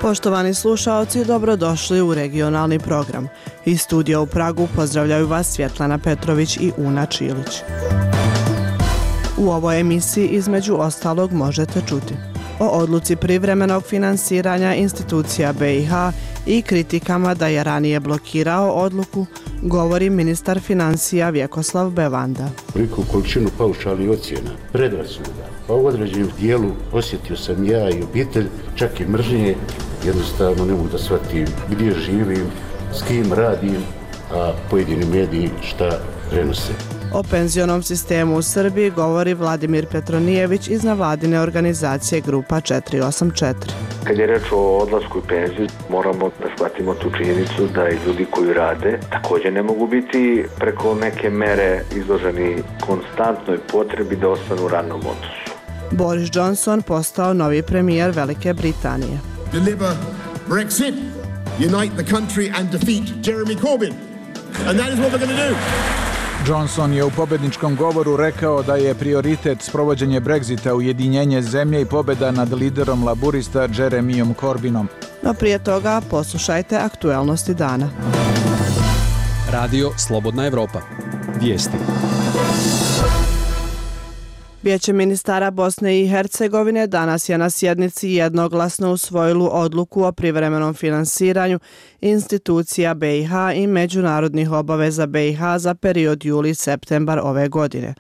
Poštovani slušaoci, dobrodošli u regionalni program. Iz studija u Pragu pozdravljaju vas Svjetlana Petrović i Una Čilić. U ovoj emisiji između ostalog možete čuti o odluci privremenog finansiranja institucija BiH i kritikama da je ranije blokirao odluku, govori ministar financija Vjekoslav Bevanda. Veliku količinu paušalnih ocjena, predrasuda, pa u određenom dijelu osjetio sam ja i obitelj, čak i mržnje, jednostavno ne mogu da shvatim gdje živim, s kim radim, a pojedini mediji šta prenose. O penzionom sistemu u Srbiji govori Vladimir Petronijević iz nevladine organizacije Grupa 484. Kad je reč o odlasku i penziju, moramo da shvatimo tu činjenicu da i ljudi koji rade također ne mogu biti preko neke mere izloženi konstantnoj potrebi da ostanu u radnom odnosu. Boris Johnson postao novi premijer Velike Britanije. Deliver Brexit, unite the country and defeat Jeremy Corbyn. And that is what we're going to do. Johnson je u pobjedničkom govoru rekao da je prioritet sprovođenje Brexita, ujedinjenje zemlje i pobjeda nad liderom laburista Jeremyom Corbynom. No prije toga poslušajte aktuelnosti dana. Radio Slobodna Evropa. Vijesti. Vijeće ministara Bosne i Hercegovine danas je na sjednici jednoglasno usvojilo odluku o privremenom finansiranju institucija BiH i međunarodnih obaveza BiH za period juli-septembar ove godine.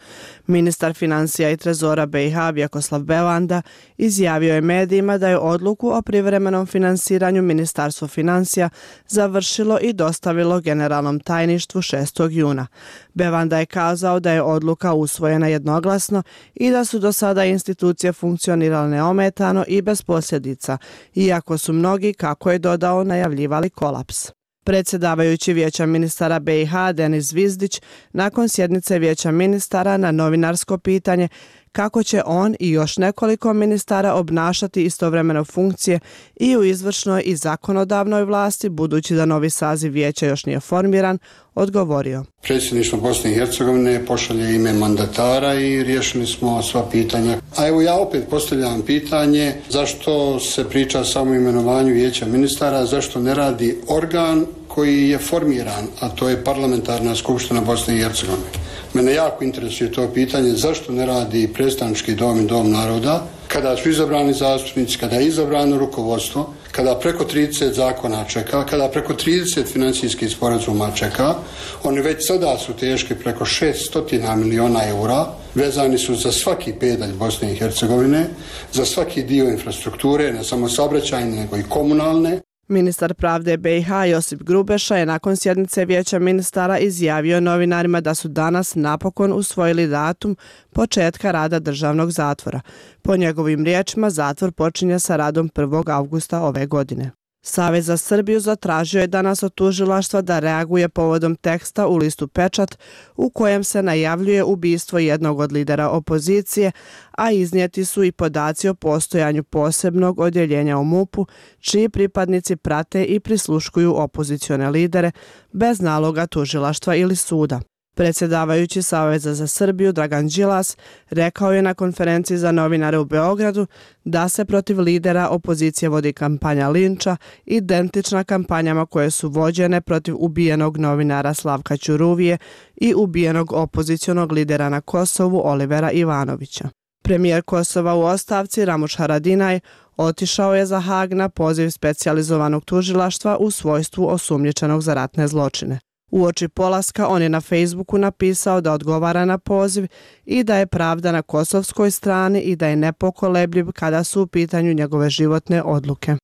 Ministar financija i trezora BiH Vjekoslav Bevanda izjavio je medijima da je odluku o privremenom finansiranju Ministarstvo financija završilo i dostavilo generalnom tajništvu 6. juna. Bevanda je kazao da je odluka usvojena jednoglasno i da su do sada institucije funkcionirale neometano i bez posljedica, iako su mnogi, kako je dodao, najavljivali kolaps. Predsjedavajući Vijeća ministara BiH Denis Zvizdić nakon sjednice Vijeća ministara na novinarsko pitanje kako će on i još nekoliko ministara obnašati istovremeno funkcije i u izvršnoj i zakonodavnoj vlasti, budući da novi saziv vijeća još nije formiran, odgovorio. Predsjedništvo Bosne i Hercegovine pošalje ime mandatara i riješili smo sva pitanja. A evo ja opet postavljam pitanje zašto se priča samo o imenovanju Vijeća ministara, zašto ne radi organ koji je formiran, a to je Parlamentarna skupština Bosne i Hercegovine. Mene jako interesuje to pitanje zašto ne radi predstavnički dom i dom naroda, kada su izabrani zastupnici, kada je izabrano rukovodstvo, kada preko 30 zakona čeka, kada preko 30 financijskih sporazuma čeka. Oni već sada su teški preko 600 miliona eura, vezani su za svaki pedalj Bosne i Hercegovine, za svaki dio infrastrukture, ne samo saobraćajne, nego i komunalne. Ministar pravde BiH Josip Grubeša je nakon sjednice Vijeća ministara izjavio novinarima da su danas napokon usvojili datum početka rada državnog zatvora. Po njegovim riječima, zatvor počinje sa radom 1. avgusta ove godine. Savez za Srbiju zatražio je danas od tužilaštva da reaguje povodom teksta u listu Pečat u kojem se najavljuje ubistvo jednog od lidera opozicije, a iznijeti su i podaci o postojanju posebnog odjeljenja u MUP-u, čiji pripadnici prate i prisluškuju opozicione lidere bez naloga tužilaštva ili suda. Predsjedavajući Saveza za Srbiju Dragan Đilas rekao je na konferenciji za novinare u Beogradu da se protiv lidera opozicije vodi kampanja linča, identična kampanjama koje su vođene protiv ubijenog novinara Slavka Ćuruvije i ubijenog opozicionog lidera na Kosovu Olivera Ivanovića. Premijer Kosova u ostavci Ramuš Haradinaj otišao je za Hag na poziv specijalizovanog tužilaštva u svojstvu osumnjičenog za ratne zločine. Uoči polaska on je na Facebooku napisao da odgovara na poziv i da je pravda na kosovskoj strani i da je nepokolebljiv kada su u pitanju njegove životne odluke.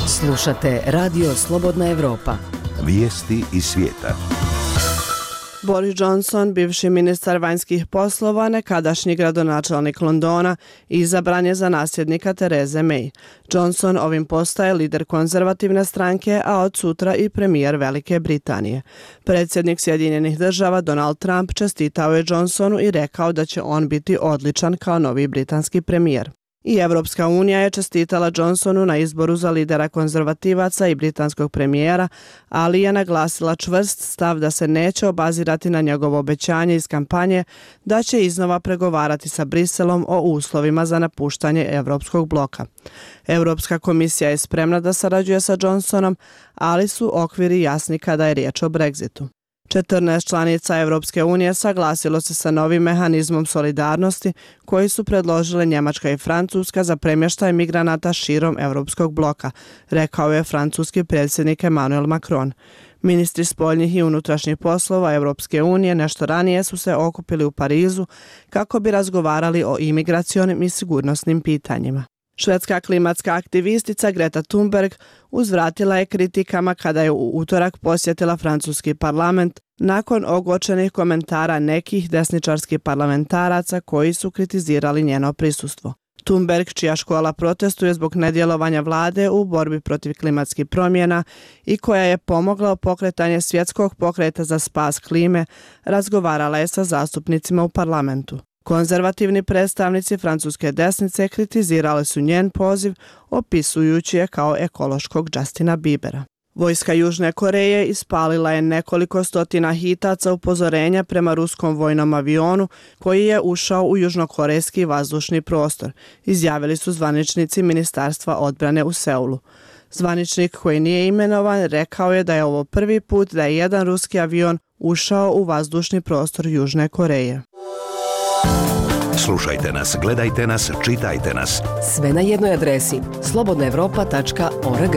Slušate Radio Slobodna Evropa. Vijesti iz svijeta. Boris Johnson, bivši ministar vanjskih poslova, nekadašnji gradonačelnik Londona, izabran je za nasljednika Therese May. Johnson ovim postaje lider konzervativne stranke, a od sutra i premijer Velike Britanije. Predsjednik Sjedinjenih država Donald Trump čestitao je Johnsonu i rekao da će on biti odličan kao novi britanski premijer. I Evropska unija je čestitala Johnsonu na izboru za lidera konzervativaca i britanskog premijera, ali je naglasila čvrst stav da se neće obazirati na njegovo obećanje iz kampanje da će iznova pregovarati sa Briselom o uslovima za napuštanje Evropskog bloka. Europska komisija je spremna da sarađuje sa Johnsonom, ali su okviri jasni kada je riječ o Brexitu. 14 članica Evropske unije saglasilo se sa novim mehanizmom solidarnosti koji su predložile Njemačka i Francuska za premještaj migranata širom Evropskog bloka, rekao je francuski predsjednik Emmanuel Macron. Ministri spoljnih i unutrašnjih poslova Evropske unije nešto ranije su se okupili u Parizu kako bi razgovarali o imigracionim i sigurnosnim pitanjima. Švedska klimatska aktivistica Greta Thunberg uzvratila je kritikama kada je u utorak posjetila francuski parlament nakon ogorčenih komentara nekih desničarskih parlamentaraca koji su kritizirali njeno prisustvo. Thunberg, čija škola protestuje zbog nedjelovanja vlade u borbi protiv klimatskih promjena i koja je pomogla u pokretanje svjetskog pokreta za spas klime, razgovarala je sa zastupnicima u parlamentu. Konzervativni predstavnici francuske desnice kritizirali su njen poziv, opisujući je kao ekološkog Justina Biebera. Vojska Južne Koreje ispalila je nekoliko stotina hitaca upozorenja prema ruskom vojnom avionu koji je ušao u južnokorejski vazdušni prostor, izjavili su zvaničnici Ministarstva odbrane u Seulu. Zvaničnik koji nije imenovan rekao je da je ovo prvi put da je jedan ruski avion ušao u vazdušni prostor Južne Koreje. Slušajte nas, gledajte nas, čitajte nas. Sve na jednoj adresi slobodnaevropa.org.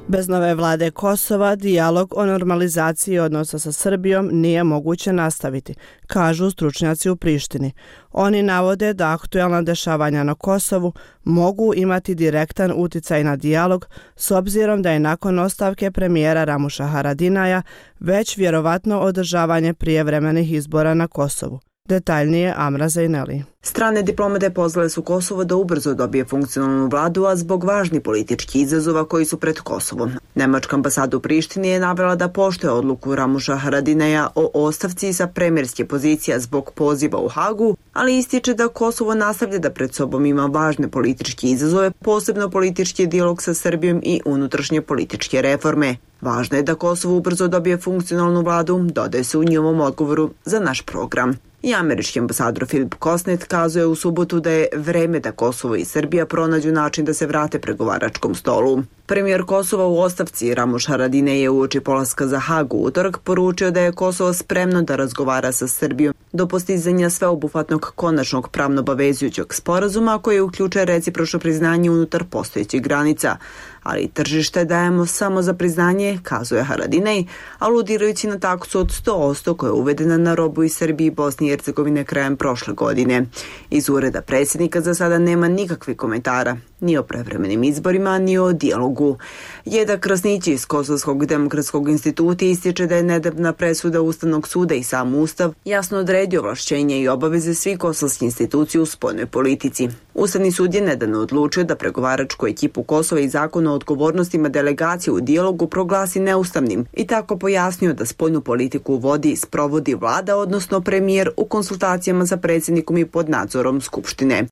Bez nove vlade Kosova, dijalog o normalizaciji odnosa sa Srbijom nije moguće nastaviti, kažu stručnjaci u Prištini. Oni navode da aktuelna dešavanja na Kosovu mogu imati direktan uticaj na dijalog s obzirom da je nakon ostavke premijera Ramuša Haradinaja već vjerovatno održavanje prijevremenih izbora na Kosovu. Detaljnije Amra Zejneli. Strane diplomate pozvale su Kosovo da ubrzo dobije funkcionalnu vladu, a zbog važnih političkih izazova koji su pred Kosovom. Nemačka ambasada u Prištini je navela da poštuje odluku Ramuša Haradinaja o ostavci sa premijerske pozicija zbog poziva u Hagu, ali ističe da Kosovo nastavlja da pred sobom ima važne političke izazove, posebno politički dijalog sa Srbijom i unutrašnje političke reforme. Važno je da Kosovo ubrzo dobije funkcionalnu vladu, dodaje se u njihovom odgovoru za naš program. I američki ambasador Filip Kosnet kazuje u subotu da je vreme da Kosovo i Srbija pronađu način da se vrate pregovaračkom stolu. Premijer Kosova u ostavci Ramuš Haradinaj je uoči polaska za Hagu utorak poručio da je Kosovo spremno da razgovara sa Srbijom do postizanja sveobuhvatnog konačnog pravno obavezujućeg sporazuma koji uključuje recipročno priznanje unutar postojećih granica. Ali tržište dajemo samo za priznanje, kazuje Haradinaj, aludirajući na taksu od 100% koja je uvedena na robu iz Srbije i Bosne i Hercegovine krajem prošle godine. Iz ureda predsjednika za sada nema nikakvih komentara, ni o prevremenim izborima, ni o dijalogu. Jeda Krasnić iz Kosovskog demokratskog instituta ističe da je nedavna presuda Ustavnog suda i sam Ustav jasno odredio ovlašćenja i obaveze svih kosovskih institucija u spoljnoj politici. Ustavni sud je nedavno odlučio da pregovaračku ekipu Kosova i zakon o odgovornostima delegacije u dijalogu proglasi neustavnim i tako pojasnio da spoljnu politiku vodi i sprovodi vlada, odnosno premijer u konsultacijama sa predsjednikom i pod nadzorom Skupštine.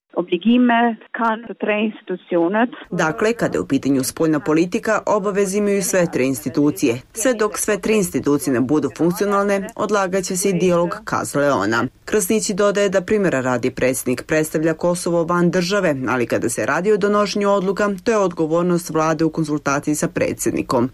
Dakle, kada je u pitanju spoljna politika, obaveze imaju sve tri institucije. Sve dok sve tri institucije ne budu funkcionalne, odlagaće se i dijalog, kazala je ona. Krasnići dodaje da primjera radi predsjednik predstavlja Kosovo van države, ali kada se radi o donošenju odluka, to je odgovornost vlade u konsultaciji sa predsjednikom.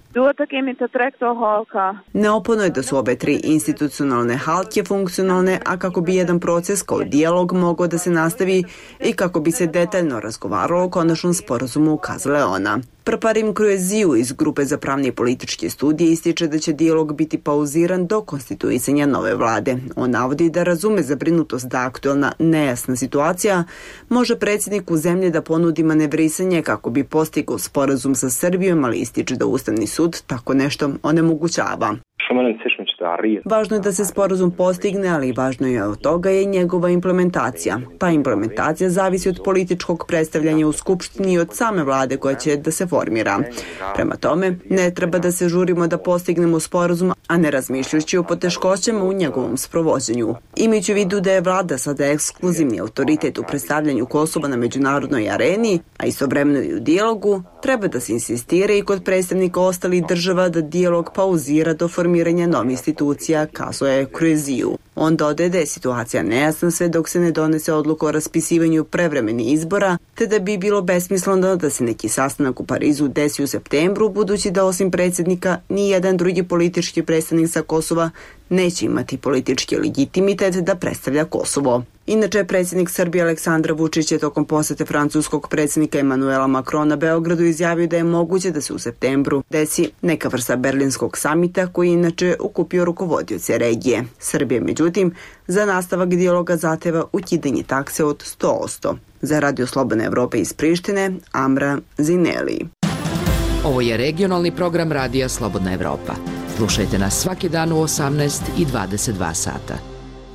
Neophodno je da su obe tri institucionalne halke funkcionalne, a kako bi jedan proces kao dijalog mogao da se nastavi i kako bi se detaljno razgovaralo o konačnom sporazumu, ukazala je ona. Prparim Krueziju iz Grupe za pravne i političke studije ističe da će dijalog biti pauziran do konstituisanja nove vlade. On navodi da razume zabrinutost da aktualna nejasna situacija može predsjedniku zemlje da ponudi manevrisanje kako bi postigao sporazum sa Srbijom, ali ističe da Ustavni sud tako nešto onemogućava. Važno je da se sporazum postigne, ali važno je od toga je njegova implementacija. Ta implementacija zavisi od političkog predstavljanja u Skupštini i od same vlade koja će da se formira. Prema tome, ne treba da se žurimo da postignemo sporazum, a ne razmišljajući o poteškoćama u njegovom sprovođenju. Imajući u vidu da je vlada sada ekskluzivni autoritet u predstavljanju Kosova na međunarodnoj areni, a istovremeno i u dijalogu, treba da se insistira i kod predstavnika ostalih država da dijalog pauzira do formiranja novih institucija, kazao je Kreziju. On dodaje da je situacija nejasna sve dok se ne donese odluka o raspisivanju prevremenih izbora, te da bi bilo besmisleno da se neki sastanak u Parizu desi u septembru, budući da osim predsjednika ni jedan drugi politički predstavnik sa Kosova neće imati politički legitimitet da predstavlja Kosovo. Inače, predsjednik Srbije Aleksandar Vučić je tokom posete francuskog predsjednika Emanuela Macrona Beogradu izjavio da je moguće da se u septembru desi neka vrsta berlinskog samita koji inače okupio rukovodioce regije. Srbije, međutim, za nastavak dijaloga zahteva ukidanje takse od 100%. Za Radio Slobodne Evrope iz Prištine, Amra Zineli. Ovo je regionalni program Radija Slobodna Evropa. Slušajte nas svaki dan u 18 i 22 sata.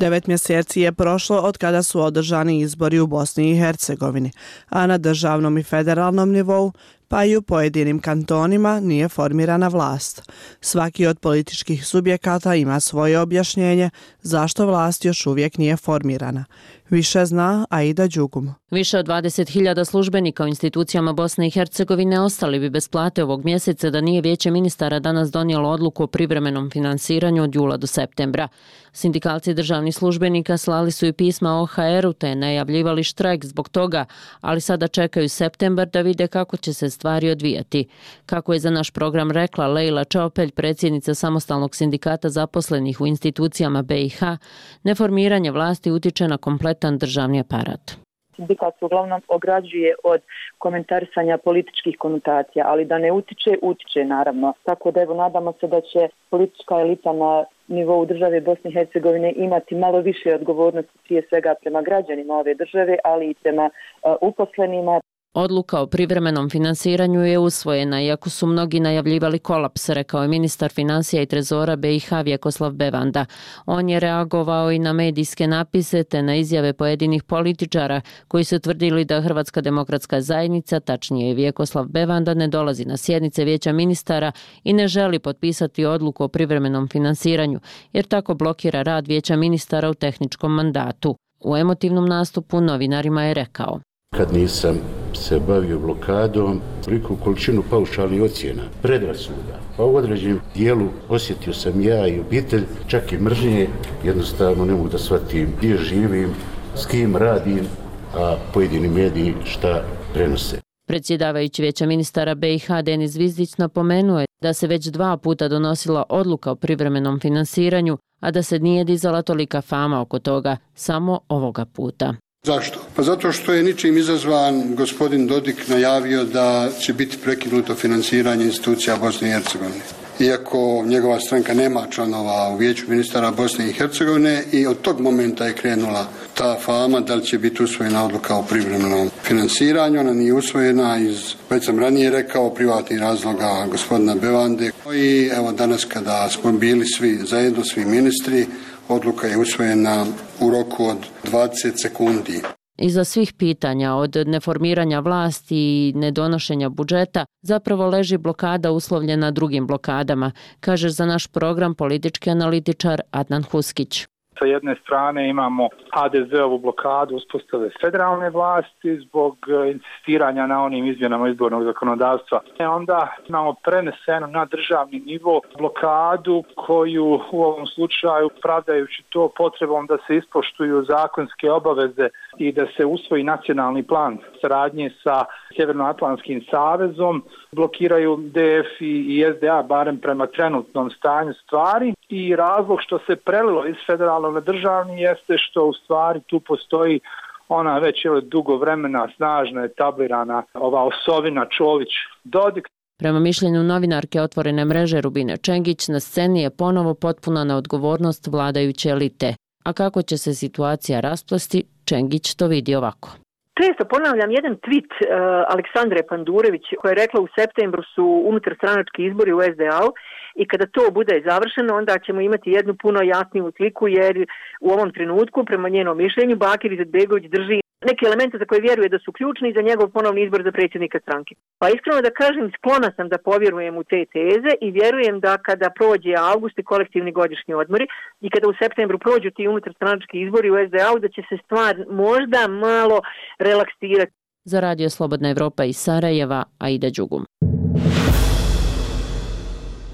9 mjeseci je prošlo od kada su održani izbori u Bosni i Hercegovini, a na državnom i federalnom nivou, pa i u pojedinim kantonima nije formirana vlast. Svaki od političkih subjekata ima svoje objašnjenje zašto vlast još uvijek nije formirana. Više zna Aida Đugum. Više od 20.000 službenika u institucijama Bosne i Hercegovine ostali bi bez plate ovog mjeseca da nije Vijeće ministara danas donijelo odluku o privremenom finansiranju od jula do septembra. Sindikalci državnih službenika slali su i pisma OHR-u te najavljivali štrajk zbog toga, ali sada čekaju septembar da vide kako će se stvari odvijati. Kako je za naš program rekla Lejla Čaopelj, predsjednica samostalnog sindikata zaposlenih u institucijama BiH, neformiranje vlasti utiče na kompletan državni aparat. Sindikat se uglavnom ograđuje od komentarisanja političkih konotacija, ali da ne utiče naravno. Tako da evo nadamo se da će politička elita na nivou države Bosne i Hercegovine imati malo više odgovornosti prije svega prema građanima ove države, ali i prema uposlenima. Odluka o privremenom finansiranju je usvojena, iako su mnogi najavljivali kolaps, rekao je ministar financija i trezora BiH Vjekoslav Bevanda. On je reagovao i na medijske napise te na izjave pojedinih političara koji su tvrdili da Hrvatska demokratska zajednica, tačnije Vjekoslav Bevanda, ne dolazi na sjednice Vijeća ministara i ne želi potpisati odluku o privremenom finansiranju, jer tako blokira rad Vijeća ministara u tehničkom mandatu. U emotivnom nastupu novinarima je rekao: Kad nisam se bavio blokadom, veliku količinu paušalnih ocjena, predrasuda, pa u određenom dijelu osjetio sam ja i obitelj, čak i mržnje, jednostavno ne mogu da shvatim gdje živim, s kim radim, a pojedini mediji šta prenose. Predsjedavajući Vijeća ministara BiH Denis Zvizdić napomenuo je da se već 2 puta donosila odluka o privremenom finansiranju, a da se nije dizala tolika fama oko toga, samo ovoga puta. Zašto? Pa zato što je ničim izazvan gospodin Dodik najavio da će biti prekinuto financiranje institucija Bosne i Hercegovine. Iako njegova stranka nema članova u Vijeću ministara Bosne i Hercegovine i od tog momenta je krenula ta fama da li će biti usvojena odluka o privremenom finansiranju. Ona nije usvojena iz, već sam ranije rekao, privatnih razloga gospodina Bevande. I evo danas kada smo bili svi zajedno, svi ministri, odluka je usvojena u roku od 20 sekundi. Iza svih pitanja od neformiranja vlasti i nedonošenja budžeta zapravo leži blokada uslovljena drugim blokadama, kaže za naš program politički analitičar Adnan Huskić. Sa jedne strane imamo HDZ-ovu blokadu uspostave federalne vlasti zbog insistiranja na onim izmjenama izbornog zakonodavstva. Onda imamo preneseno na državni nivo blokadu koju u ovom slučaju, pravdajući to potrebom da se ispoštuju zakonske obaveze i da se usvoji nacionalni plan saradnje sa Sjevernoatlantskim savezom, blokiraju DF i SDA barem prema trenutnom stanju stvari. I razlog što se prelilo iz federalnog na državni jeste što u stvari tu postoji ona već dugo vremena snažno etablirana ova osovina Čović-Dodik. Prema mišljenju novinarke Otvorene mreže Rubine Čengić, na sceni je ponovo potpuna neodgovornost vladajuće elite. A kako će se situacija rasplesti, Čengić to vidi ovako. Često ponavljam jedan tweet Aleksandre Pandurević koja je rekla u septembru su unutarstranački izbori u SDA-u i kada to bude završeno onda ćemo imati jednu puno jasniju sliku jer u ovom trenutku prema njenom mišljenju Bakir Izetbegović drži neke elemente za koje vjeruje da su ključni za njegov ponovni izbor za predsjednika stranke. Pa iskreno da kažem, sklona sam da povjerujem u te teze i vjerujem da kada prođe avgust i kolektivni godišnji odmori i kada u septembru prođu ti unutarstranački izbori u SDA-u da će se stvar možda malo relaksirati. Za Radio Slobodna Evropa iz Sarajeva, Aida Đugum.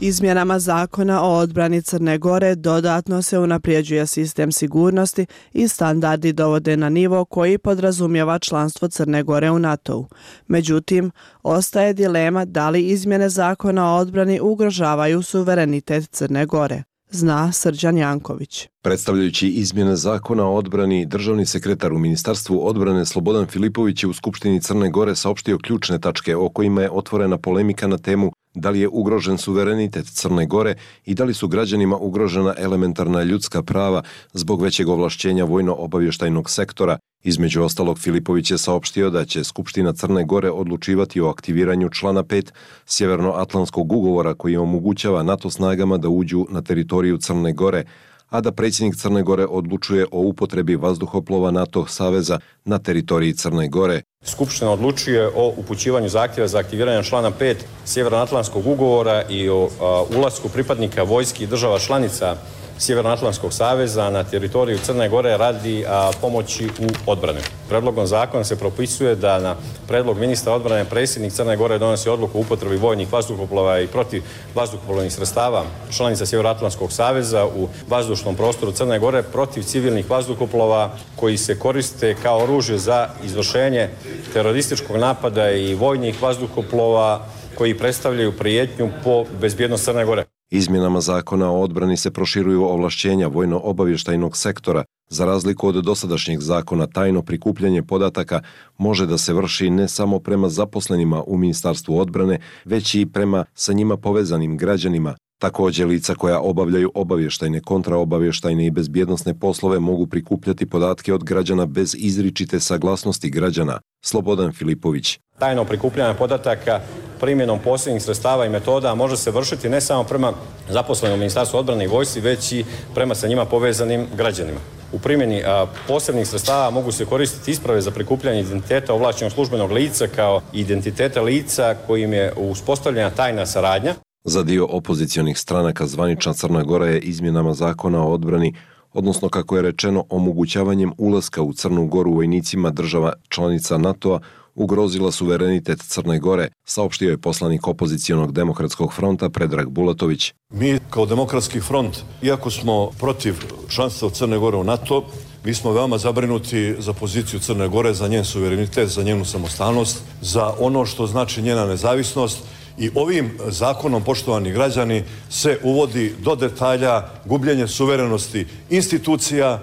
Izmjenama zakona o odbrani Crne Gore dodatno se unaprijeđuje sistem sigurnosti i standardi dovode na nivo koji podrazumijeva članstvo Crne Gore u NATO-u. Međutim, ostaje dilema da li izmjene zakona o odbrani ugrožavaju suverenitet Crne Gore. Zna Srđan Janković. Predstavljajući izmjene zakona o odbrani, državni sekretar u Ministarstvu odbrane Slobodan Filipović je u Skupštini Crne Gore saopštio ključne tačke o kojima je otvorena polemika na temu da li je ugrožen suverenitet Crne Gore i da li su građanima ugrožena elementarna ljudska prava zbog većeg ovlašćenja vojno-obavještajnog sektora. Između ostalog, Filipović je saopštio da će Skupština Crne Gore odlučivati o aktiviranju člana 5 Sjevernoatlantskog ugovora koji omogućava NATO snagama da uđu na teritoriju Crne Gore, a da predsjednik Crne Gore odlučuje o upotrebi vazduhoplova NATO saveza na teritoriji Crne Gore. Skupština odlučuje o upućivanju zahtjeva za aktiviranje člana 5 Sjevernoatlantskog ugovora i o ulasku pripadnika vojski država članica Sjevernoatlantskog saveza na teritoriju Crne Gore radi pomoći u odbrani. Predlogom zakona se propisuje da na predlog ministra odbrane predsjednik Crne Gore donosi odluku o upotrebi vojnih vazduhoplova i protiv vazduhoplovnih sredstava članica Sjevernoatlantskog saveza u vazdušnom prostoru Crne Gore protiv civilnih vazduhoplova koji se koriste kao oružje za izvršenje terorističkog napada i vojnih vazduhoplova koji predstavljaju prijetnju po bezbjednost Crne Gore. Izmjenama zakona o odbrani se proširuju ovlašćenja vojno-obavještajnog sektora. Za razliku od dosadašnjeg zakona, tajno prikupljanje podataka može da se vrši ne samo prema zaposlenima u Ministarstvu odbrane, već i prema sa njima povezanim građanima. Također, lica koja obavljaju obavještajne, kontraobavještajne i bezbjednosne poslove mogu prikupljati podatke od građana bez izričite saglasnosti građana. Slobodan Filipović. Tajno prikupljanje podataka primjenom posebnih sredstava i metoda može se vršiti ne samo prema zaposlenim u Ministarstvu odbrane i vojsci, već i prema sa njima povezanim građanima. U primjeni posebnih sredstava mogu se koristiti isprave za prikupljanje identiteta ovlašćenog službenog lica kao identiteta lica kojim je uspostavljena tajna saradnja. Za dio opozicionih stranaka zvanična Crna Gora je izmjenama zakona o odbrani, odnosno kako je rečeno omogućavanjem ulaska u Crnu Goru vojnicima država članica NATO-a, ugrozila suverenitet Crne Gore, saopštio je poslanik opozicionog Demokratskog fronta Predrag Bulatović. Mi kao Demokratski front, iako smo protiv članstva Crne Gore u NATO, mi smo veoma zabrinuti za poziciju Crne Gore, za njen suverenitet, za njenu samostalnost, za ono što znači njena nezavisnost. I ovim zakonom, poštovani građani, se uvodi do detalja gubljenje suverenosti institucija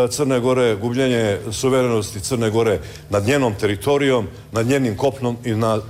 Crne Gore, gubljenje suverenosti Crne Gore nad njenom teritorijom, nad njenim kopnom i nad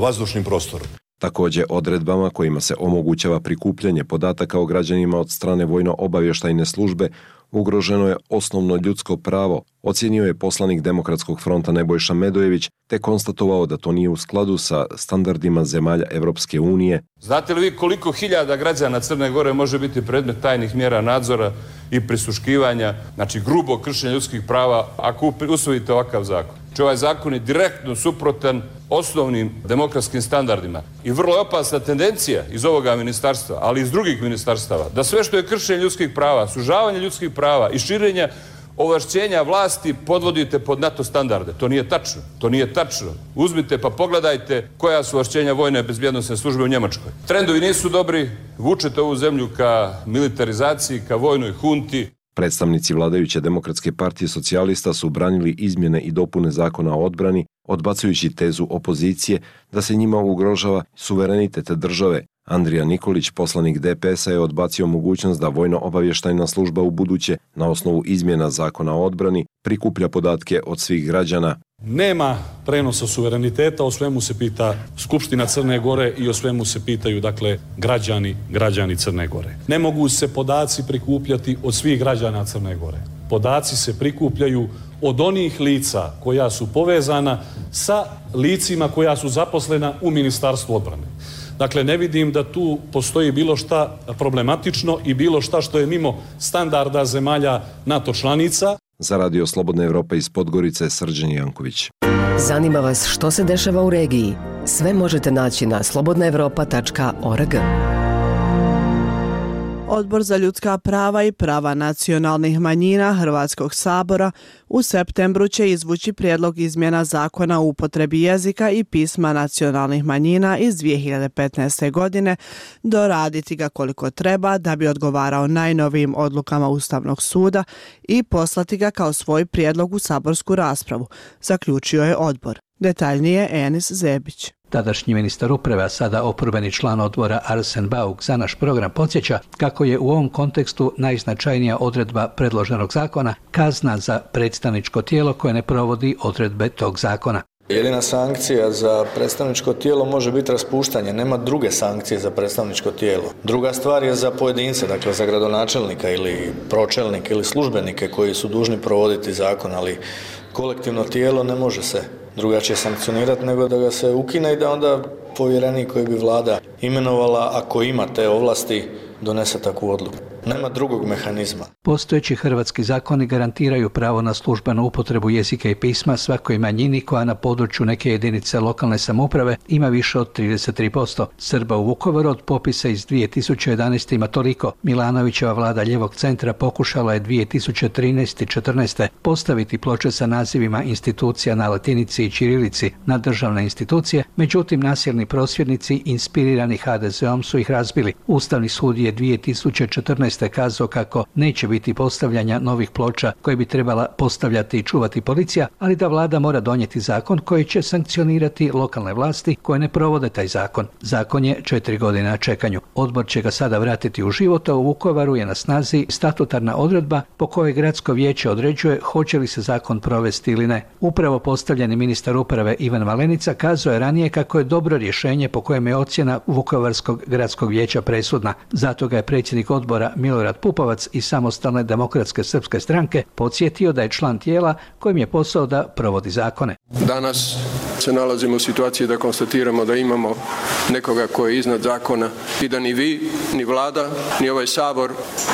vazdušnim prostorom. Također, odredbama kojima se omogućava prikupljanje podataka o građanima od strane vojno-obavještajne službe ugroženo je osnovno ljudsko pravo, ocijenio je poslanik Demokratskog fronta Nebojša Medojević, te konstatovao da to nije u skladu sa standardima zemalja Evropske unije. Znate li vi koliko hiljada građana Crne Gore može biti predmet tajnih mjera nadzora i prisluškivanja, znači grubo kršenje ljudskih prava, ako usvojite ovakav zakon? Znači ovaj zakon je direktno suprotan osnovnim demokratskim standardima. I vrlo je opasna tendencija iz ovoga ministarstva, ali i iz drugih ministarstava, da sve što je kršenje ljudskih prava, sužavanje ljudskih prava i širenja ovlašćenja vlasti podvodite pod NATO standarde. To nije tačno. To nije tačno. Uzmite pa pogledajte koja su ovlašćenja vojne bezbjednosne službe u Njemačkoj. Trendovi nisu dobri, vučete ovu zemlju ka militarizaciji, ka vojnoj hunti. Predstavnici vladajuće Demokratske partije socijalista su branili izmjene i dopune zakona o odbrani, odbacujući tezu opozicije da se njima ugrožava suverenitet države. Andrija Nikolić, poslanik DPS-a, je odbacio mogućnost da vojno-obavještajna služba u buduće, na osnovu izmjena zakona o odbrani, prikuplja podatke od svih građana. Nema prenosa suvereniteta, o svemu se pita Skupština Crne Gore i o svemu se pitaju, dakle, građani Crne Gore. Ne mogu se podaci prikupljati od svih građana Crne Gore. Podaci se prikupljaju od onih lica koja su povezana sa licima koja su zaposlena u Ministarstvu odbrane. Dakle, ne vidim da tu postoji bilo šta problematično i bilo šta što je mimo standarda zemalja NATO članica. Za Radio Slobodna Evropa iz Podgorice, Srđan Janković. Zanima vas što se dešava u regiji? Sve možete naći na slobodnaevropa.org. Odbor za ljudska prava i prava nacionalnih manjina Hrvatskog sabora u septembru će izvući prijedlog izmjena zakona o upotrebi jezika i pisma nacionalnih manjina iz 2015. godine, doraditi ga koliko treba da bi odgovarao najnovijim odlukama Ustavnog suda i poslati ga kao svoj prijedlog u saborsku raspravu, zaključio je odbor. Detaljnije Enis Zebić. Tadašnji ministar uprave, a sada oporbeni član odbora Arsen Bauk za naš program podsjeća kako je u ovom kontekstu najznačajnija odredba predloženog zakona kazna za predstavničko tijelo koje ne provodi odredbe tog zakona. Jedina sankcija za predstavničko tijelo može biti raspuštanje, nema druge sankcije za predstavničko tijelo. Druga stvar je za pojedince, dakle za gradonačelnika ili pročelnike ili službenike koji su dužni provoditi zakon, ali kolektivno tijelo ne može se drugačije sankcionirati nego da ga se ukine i da onda povjerenik koji bi vlada imenovala, ako ima te ovlasti, donese takvu odluku. Nema drugog mehanizma. Postojeći hrvatski zakoni garantiraju pravo na službenu upotrebu jezika i pisma svakoj manjini koja na području neke jedinice lokalne samouprave ima više od 33%. Srba u Vukovaru od popisa iz 2011. ima toliko. Milanovićeva vlada ljevog centra pokušala je 2013. i 2014. postaviti ploče sa nazivima institucija na latinici i ćirilici na državne institucije, međutim nasilni prosvjednici inspirirani HDZ-om su ih razbili. Ustavni sud je 2014. kazao kako neće biti postavljanja novih ploča koje bi trebala postavljati i čuvati policija, ali da vlada mora donijeti zakon koji će sankcionirati lokalne vlasti koje ne provode taj zakon. Zakon je 4 godine na čekanju. Odbor će ga sada vratiti u život, a u Vukovaru je na snazi statutarna odredba po kojoj gradsko vijeće određuje hoće li se zakon provesti ili ne. Upravo postavljeni ministar uprave Ivan Malenica kazao je ranije kako je dobro rješenje po kojem je ocjena Vukovarskog gradskog vijeća presudna. Zato ga je predsjednik odbora Milorad Pupovac iz Samostalne demokratske srpske stranke podsjetio da je član tijela kojim je posao da provodi zakone. Danas se nalazimo u situaciji da konstatiramo da imamo nekoga koji je iznad zakona i da ni vi, ni vlada, ni ovaj sabor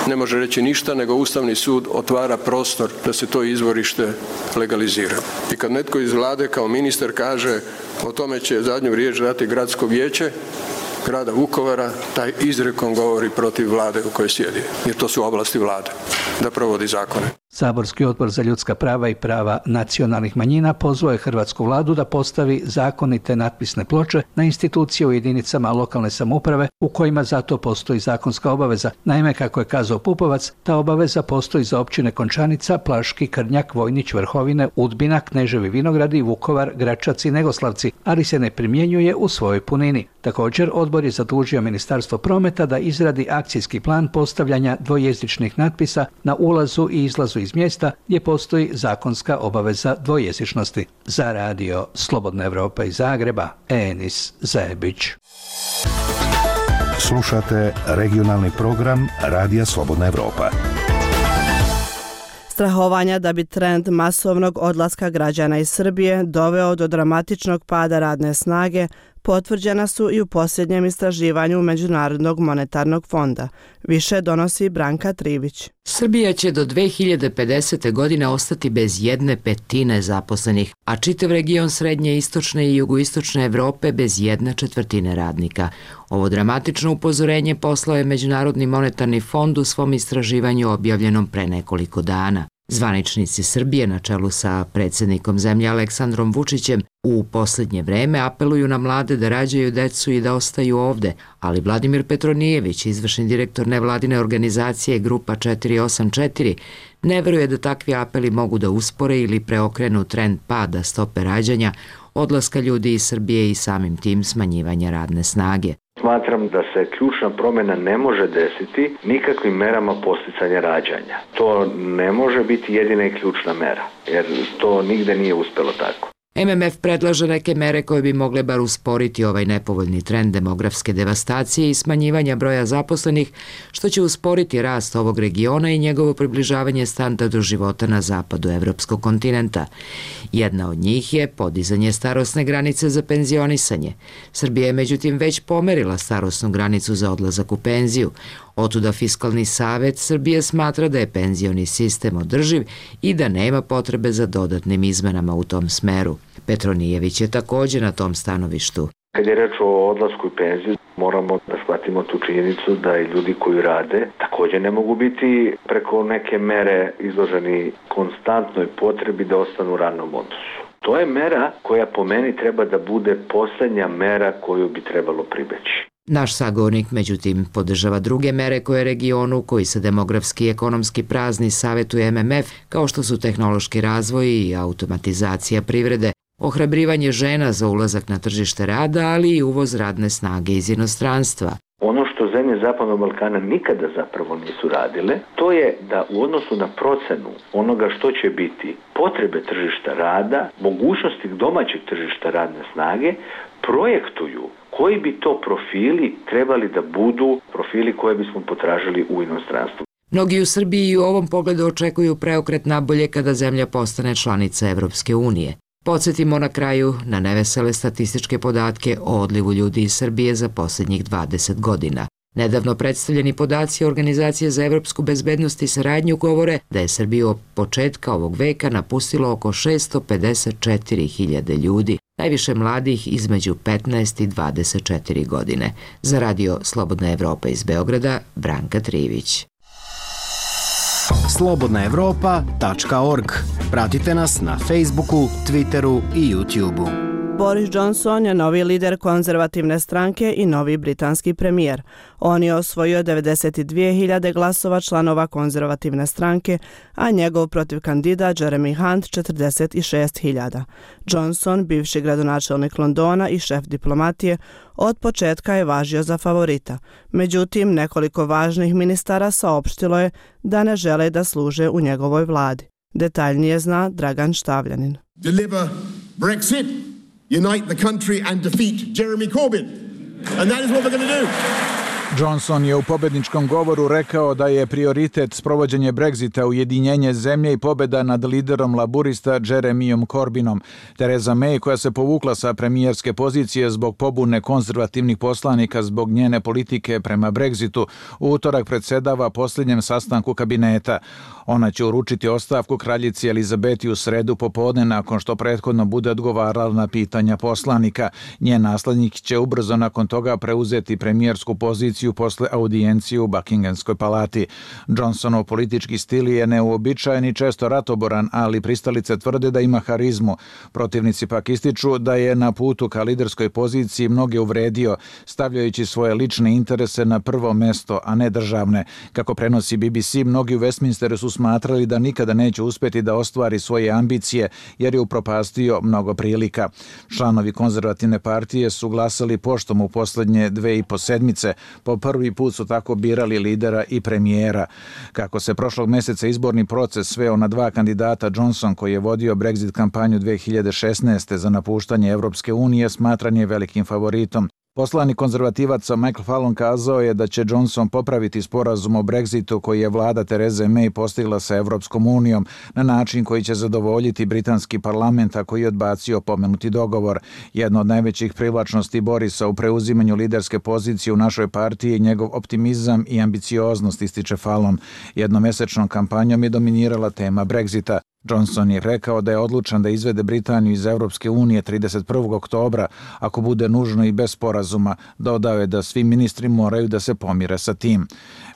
ne može reći ništa, nego Ustavni sud otvara prostor da se to izvorište legalizira. I kad netko iz vlade kao ministar kaže o tome će zadnju riječ dati gradsko vijeće grada Vukovara, taj izrekom govori protiv vlade u kojoj sjedi, jer to su oblasti vlade da provodi zakone. Saborski odbor za ljudska prava i prava nacionalnih manjina pozvao je hrvatsku vladu da postavi zakonite natpisne ploče na institucije u jedinicama lokalne samouprave u kojima zato postoji zakonska obaveza. Naime, kako je kazao Pupovac, ta obaveza postoji za općine Končanica, Plaški, Krnjak, Vojnić, Vrhovine, Udbina, Kneževi Vinogradi, Vukovar, Gračac i Negoslavci, ali se ne primjenjuje u svojoj punini. Također, odbor je zadužio Ministarstvo prometa da izradi akcijski plan postavljanja dvojezičnih natpisa na ulazu i izlazu iz mjesta gdje postoji zakonska obaveza dvojezičnosti. Za radio Slobodna Evropa iz Zagreba, Enis Zebić. Slušate regionalni program Radija Slobodna Evropa. Strahovanja da bi trend masovnog odlaska građana iz Srbije doveo do dramatičnog pada radne snage potvrđena su i u posljednjem istraživanju Međunarodnog monetarnog fonda. Više donosi Branka Trivić. Srbija će do 2050. godine ostati bez 1/5 zaposlenih, a čitav region srednje, istočne i jugoistočne Evrope bez 1/4 radnika. Ovo dramatično upozorenje poslao je Međunarodni monetarni fond u svom istraživanju objavljenom pre nekoliko dana. Zvaničnici Srbije na čelu sa predsjednikom zemlje Aleksandrom Vučićem u posljednje vreme apeluju na mlade da rađaju decu i da ostaju ovde, ali Vladimir Petronijević, izvršni direktor nevladine organizacije Grupa 484, ne veruje da takvi apeli mogu da uspore ili preokrenu trend pada stope rađanja, odlaska ljudi iz Srbije i samim tim smanjivanja radne snage. Smatram da se ključna promjena ne može desiti nikakvim merama podsticanja rađanja. To ne može biti jedina i ključna mera, jer to nigde nije uspelo tako. MMF predlaže neke mere koje bi mogle bar usporiti ovaj nepovoljni trend demografske devastacije i smanjivanja broja zaposlenih, što će usporiti rast ovog regiona i njegovo približavanje standardu života na zapadu evropskog kontinenta. Jedna od njih je podizanje starosne granice za penzionisanje. Srbija je međutim već pomerila starosnu granicu za odlazak u penziju. Otuda Fiskalni savet Srbije smatra da je penzioni sistem održiv i da nema potrebe za dodatnim izmenama u tom smeru. Petronijević je također na tom stanovištu. Kad je reč o odlasku u penziju, moramo da shvatimo tu činjenicu da i ljudi koji rade također ne mogu biti preko neke mere izloženi konstantnoj potrebi da ostanu u radnom odnosu. To je mera koja po meni treba da bude posljednja mera koju bi trebalo pribeći. Naš sagovornik, međutim, podržava druge mere koje regionu, koji se demografski i ekonomski prazni, savjetuje MMF, kao što su tehnološki razvoj i automatizacija privrede, ohrabrivanje žena za ulazak na tržište rada, ali i uvoz radne snage iz inostranstva. Ono što zemlje Zapadnog Balkana nikada zapravo nisu radile, to je da u odnosu na procenu onoga što će biti potrebe tržišta rada, mogućnosti domaćeg tržišta radne snage, projektuju koji bi to profili trebali da budu profili koje bismo potražili u inostranstvu. Mnogi u Srbiji i u ovom pogledu očekuju preokret nabolje kada zemlja postane članica Evropske unije. Podsjetimo na kraju na nevesele statističke podatke o odlivu ljudi iz Srbije za posljednjih 20 godina. Nedavno predstavljeni podaci Organizacije za evropsku bezbednost i saradnju govore da je Srbiju od početka ovog veka napustilo oko 654.000 ljudi, najviše mladih između 15 i 24 godine. Za radio Slobodna Evropa iz Beograda, Branka Trivić. slobodnaevropa.org. Pratite nas na Facebooku, Twitteru i YouTubeu. Boris Johnson je novi lider konzervativne stranke i novi britanski premijer. On je osvojio 92.000 glasova članova konzervativne stranke, a njegov protiv kandidat Jeremy Hunt 46.000. Johnson, bivši gradonačelnik Londona i šef diplomatije, od početka je važio za favorita. Međutim, nekoliko važnih ministara saopštilo je da ne žele da služe u njegovoj vladi. Detaljnije zna Dragan Štavljanin. Deliver Brexit, unite the country and defeat Jeremy Corbyn. And that is what we're going to do. Johnson je u pobedničkom govoru rekao da je prioritet sprovođenje Brexita, ujedinjenje zemlje i pobjeda nad liderom laburista Jeremyom Corbynom. Theresa May, koja se povukla sa premijerske pozicije zbog pobune konzervativnih poslanika zbog njene politike prema Brexitu, u utorak predsjedava posljednjem sastanku kabineta. Ona će uručiti ostavku kraljici Elizabeti u sredu popodne nakon što prethodno bude odgovarala na pitanja poslanika. Njen naslednik će ubrzo nakon toga preuzeti premijersku poziciju posle audijencije u Buckinghamskoj palati. Johnsonov politički stil je neuobičajen i često ratoboran, ali pristalice tvrde da ima harizmu. Protivnici pak ističu da je na putu ka liderskoj poziciji mnoge uvredio, stavljajući svoje lične interese na prvo mesto, a ne državne. Kako prenosi BBC, mnogi u Westminsteru su smatrali da nikada neće uspjeti da ostvari svoje ambicije, jer je upropastio mnogo prilika. Članovi konzervativne partije su glasali poštom u posljednje 2,5 sedmice. Po prvi put su tako birali lidera i premijera. Kako se prošlog mjeseca izborni proces sveo na dva kandidata, Johnson, koji je vodio Brexit kampanju 2016. za napuštanje Evropske unije, smatran je velikim favoritom. Poslanik konzervativaca Michael Fallon kazao je da će Johnson popraviti sporazum o Brexitu koji je vlada Therese May postigla sa Evropskom unijom na način koji će zadovoljiti britanski parlament, a koji je odbacio pomenuti dogovor. Jedno od najvećih privlačnosti Borisa u preuzimanju liderske pozicije u našoj partiji je njegov optimizam i ambicioznost, ističe Fallon. Jednomesečnom kampanjom je dominirala tema Brexita. Johnson je rekao da je odlučan da izvede Britaniju iz Evropske unije 31. oktobra, ako bude nužno i bez sporazuma. Dodao je da svi ministri moraju da se pomire sa tim.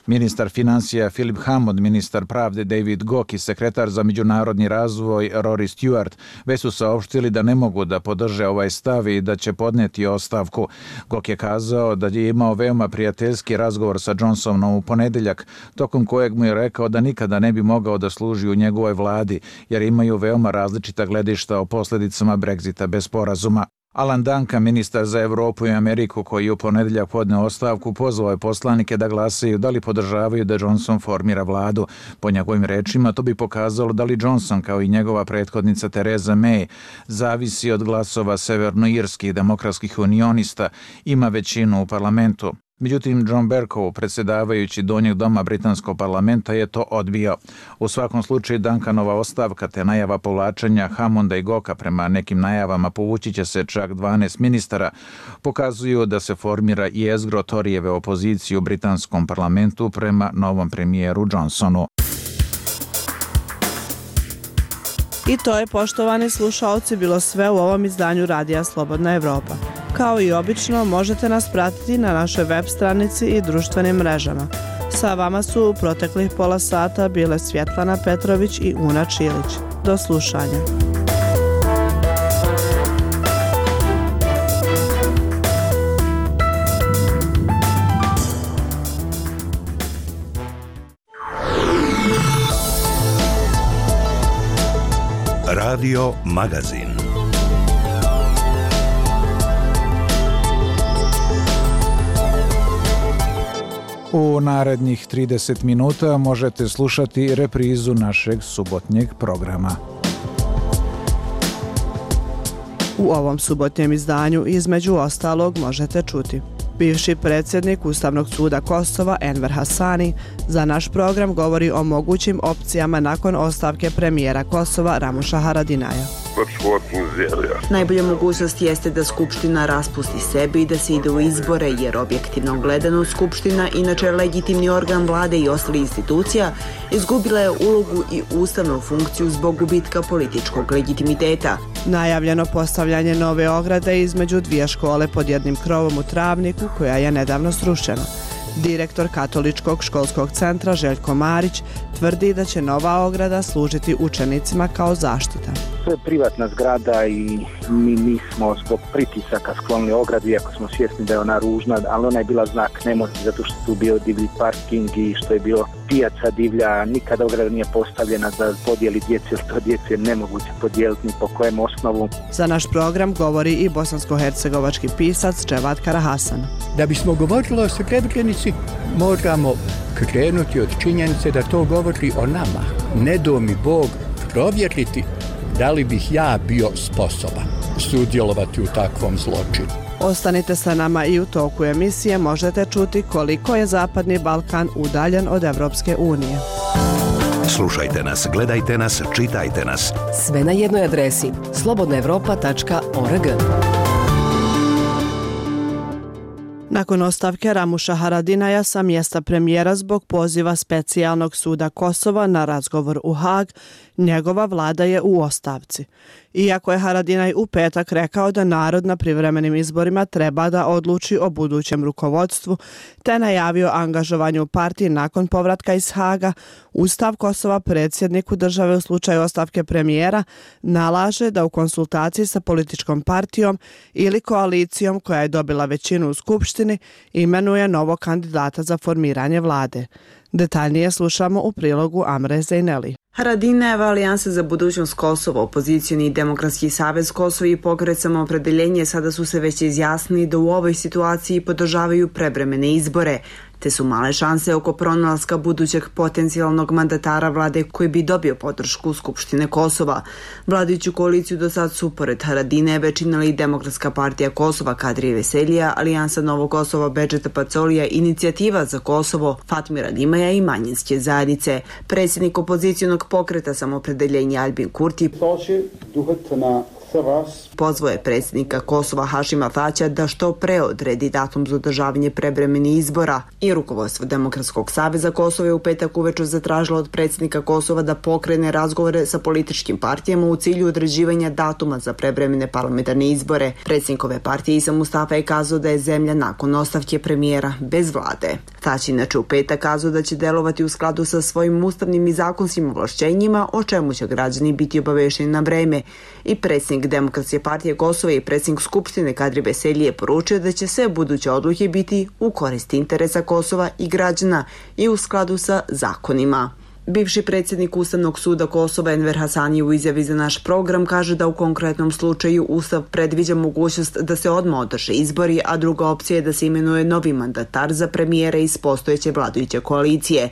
Ministar financija Philip Hammond, ministar pravde David Gauke i sekretar za međunarodni razvoj Rory Stewart već su saopštili da ne mogu da podrže ovaj stav i da će podneti ostavku. Gauke je kazao da je imao veoma prijateljski razgovor sa Johnsonom u ponedeljak, tokom kojeg mu je rekao da nikada ne bi mogao da služi u njegovoj vladi, jer imaju veoma različita gledišta o posljedicama Brexita bez sporazuma. Alan Duncan, ministar za Evropu i Ameriku, koji je u ponedeljak podneo ostavku, pozvao je poslanike da glasaju da li podržavaju da Johnson formira vladu. Po njegovim rečima, to bi pokazalo da li Johnson, kao i njegova prethodnica Theresa May, zavisi od glasova severnoirskih demokratskih unionista, ima većinu u parlamentu. Međutim, John Bercow, predsjedavajući donjeg doma britanskog parlamenta, je to odbio. U svakom slučaju, Duncanova ostavka te najava povlačenja Hammonda i Goka, prema nekim najavama povući će se čak 12 ministara, pokazuju da se formira jezgro Toryjeve opozicije u britanskom parlamentu prema novom premijeru Johnsonu. I to je, poštovani slušaoci, bilo sve u ovom izdanju Radija Slobodna Evropa. Kao i obično, možete nas pratiti na našoj web stranici i društvenim mrežama. Sa vama su u proteklih pola sata bile Svjetlana Petrović i Una Čilić. Do slušanja. Radio Magazin. U narednih 30 minuta možete slušati reprizu našeg subotnjeg programa. U ovom subotnjem izdanju između ostalog možete čuti: bivši predsjednik Ustavnog suda Kosova Enver Hasani za naš program govori o mogućim opcijama nakon ostavke premijera Kosova Ramuša Haradinaja. Najbolja mogućnost jeste da Skupština raspusti sebe i da se ide u izbore, jer objektivno gledano Skupština, inače legitimni organ vlade i ostalih institucija, izgubila je ulogu i ustavnu funkciju zbog gubitka političkog legitimiteta. Najavljeno postavljanje nove ograde između dvije škole pod jednim krovom u Travniku, koja je nedavno srušena. Direktor Katoličkog školskog centra Željko Marić tvrdi da će nova ograda služiti učenicima kao zaštita. To je privatna zgrada i mi nismo zbog pritisaka sklonili ogradu, iako smo svjesni da je ona ružna, ali ona je bila znak nemoći zato što tu bio divlji parking i što je bilo pijaca divlja. Nikada ograda nije postavljena za podijeli djece, jer to djece je nemoguće podijeliti ni po kojem osnovu. Za naš program govori i bosansko-hercegovački pisac Dževat Karahasan. Da bismo govorili o Srebrenici, moramo krenuti od činjenice da to govori o nama. Ne do mi Bog provjeriti da li bih ja bio sposoban sudjelovati u takvom zločinu. Ostanite sa nama i u toku emisije možete čuti koliko je Zapadni Balkan udaljen od Evropske unije. Slušajte nas, gledajte nas, čitajte nas. Sve na jednoj adresi slobodnaevropa.org. Nakon ostavke Ramuša Haradinaja sa mjesta premijera zbog poziva Specijalnog suda Kosova na razgovor u Hag, njegova vlada je u ostavci. Iako je Haradinaj u petak rekao da narod na privremenim izborima treba da odluči o budućem rukovodstvu, te najavio angažovanje u partiji nakon povratka iz Haga, Ustav Kosova predsjedniku države u slučaju ostavke premijera nalaže da u konsultaciji sa političkom partijom ili koalicijom koja je dobila većinu u Skupštini imenuje novog kandidata za formiranje vlade. Detaljnije slušamo u prilogu Amre Zejneli. Haradinajeva alijansa za budućnost Kosova, opozicioni Demokratski savez Kosova i Pokret Samoopredeljenje sada su se već izjasnili da u ovoj situaciji podržavaju prevremene izbore, te su male šanse oko pronalaska budućeg potencijalnog mandatara vlade koji bi dobio podršku Skupštine Kosova. Vladajuću koaliciju do sad su, pored Haradinajeve, činili Demokratska partija Kosova Kadrije Veselija, Alijansa Novog Kosova Bedžeta Pacolija, Inicijativa za Kosovo Fatmira Dimaja i manjinske zajednice. Predsjednik opozicijonog pokreta Samoopredeljenja Albin Kurti pozvao je predsjednika Kosova Hašima Tačija da što pre odredi datum za održavanje prevremenih izbora i rukovodstvo Demokratskog saveza Kosova je u petak uveče zatražilo od predsjednika Kosova da pokrene razgovore sa političkim partijama u cilju određivanja datuma za prevremene parlamentarne izbore. Predsjednikove partije Isa Mustafa je kazao da je zemlja nakon ostavke premijera bez vlade. Tač inače u petak kazao da će delovati u skladu sa svojim ustavnim i zakonskim ovlašćenjima, o čemu će građani biti obavešteni na vreme. I predsjednik Demokratske partije Kosova i predsjednik Skupštine Kadri Veselji je poručio da će sve buduće odluke biti u korist interesa Kosova i građana i u skladu sa zakonima. Bivši predsjednik Ustavnog suda Kosova Enver Hasani u izjavi za naš program kaže da u konkretnom slučaju Ustav predviđa mogućnost da se odmah održe izbori, a druga opcija je da se imenuje novi mandatar za premijera iz postojeće vladajuće koalicije.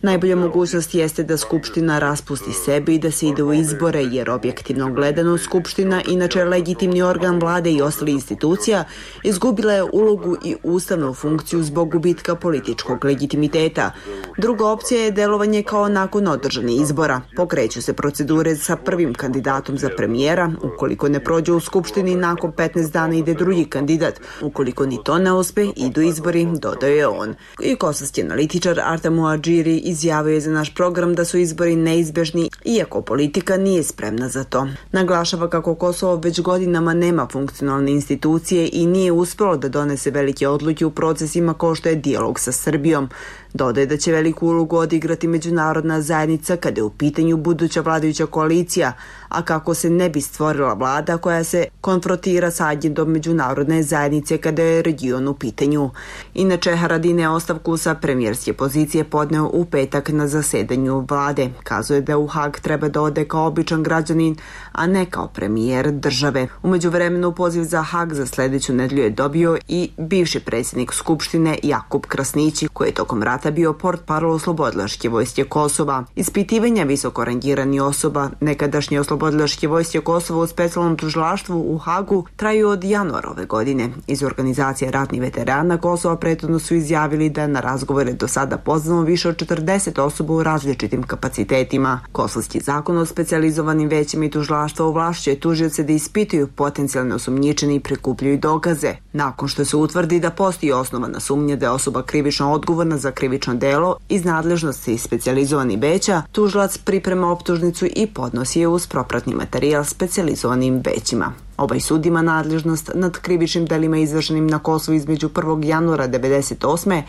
Najbolja mogućnost jeste da Skupština raspusti sebe i da se ide u izbore, jer objektivno gledano Skupština, inače legitimni organ vlade i ostali institucija, izgubila je ulogu i ustavnu funkciju zbog gubitka političkog legitimiteta. Druga opcija je delovanje kao nakon održanih izbora. Pokreću se procedure sa prvim kandidatom za premijera. Ukoliko ne prođe u Skupštini, nakon 15 dana ide drugi kandidat. Ukoliko ni to ne uspe, idu izbori, dodao je on. I kosovski analitičar Artem Muadžiri izjavio je za naš program da su izbori neizbežni, iako politika nije spremna za to. Naglašava kako Kosovo već godinama nema funkcionalne institucije i nije uspelo da donese velike odluke u procesima kao što je dijalog sa Srbijom. Dodaje da će veliku ulogu odigrati međunarodna zajednica kada je u pitanju buduća vladajuća koalicija, a kako se ne bi stvorila vlada koja se konfrontira sa agendom međunarodne zajednice kada je region u pitanju. Inače, Haradine je ostavku sa premijerske pozicije podneo u petak na zasedanju vlade. Kazuje da u Hag treba da ode kao običan građanin, a ne kao premijer države. U međuvremenu poziv za Hag za sljedeću nedelju je dobio i bivši predsjednik Skupštine Jakub Krasnići, koji je tokom rata bio portparol Oslobodilačke vojske Kosova. Ispitivanja visoko rangiranih osoba nekadašnje Oslobodilačke vojske Kosova u specijalnom tužilaštvu u Hagu traju od januara ove godine. Iz organizacije ratnih veterana Kosova prethodno su izjavili da na razgovore do sada pozvano više od 40 osoba u različitim kapacitetima. Kosovski zakon o specijalizovanim većima i tužilaštva ovlašćuje tužioce da ispituju potencijalne osumnjičene i prikupljaju dokaze. Nakon što se utvrdi da postoji osnovana sumnja da je osoba krivično odgovorna za krivično delo iz nadležnosti specijalizovanih veća, tužilac priprema optužnicu i podnosi je uz propratni materijal specijalizovanim većima. Ovaj sud ima nadležnost nad krivičnim delima izvršenim na Kosovu između 1. januara 1998.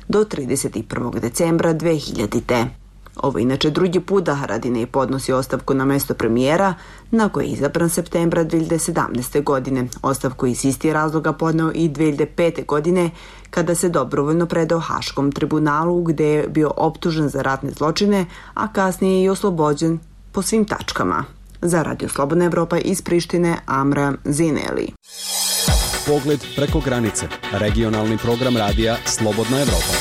do 31. decembra 2000. Ovo inače drugi put da Haradinej podnosi ostavku na mesto premijera, na koje je izabran septembra 2017. godine. Ostavku iz istih razloga podneo i 2005. godine, kada se dobrovoljno predao Haškom tribunalu, gde je bio optužen za ratne zločine, a kasnije i oslobođen po svim tačkama. Za Radio Slobodna Evropa iz Prištine, Amra Zineli. Pogled preko granice. Regionalni program radija Slobodna Evropa.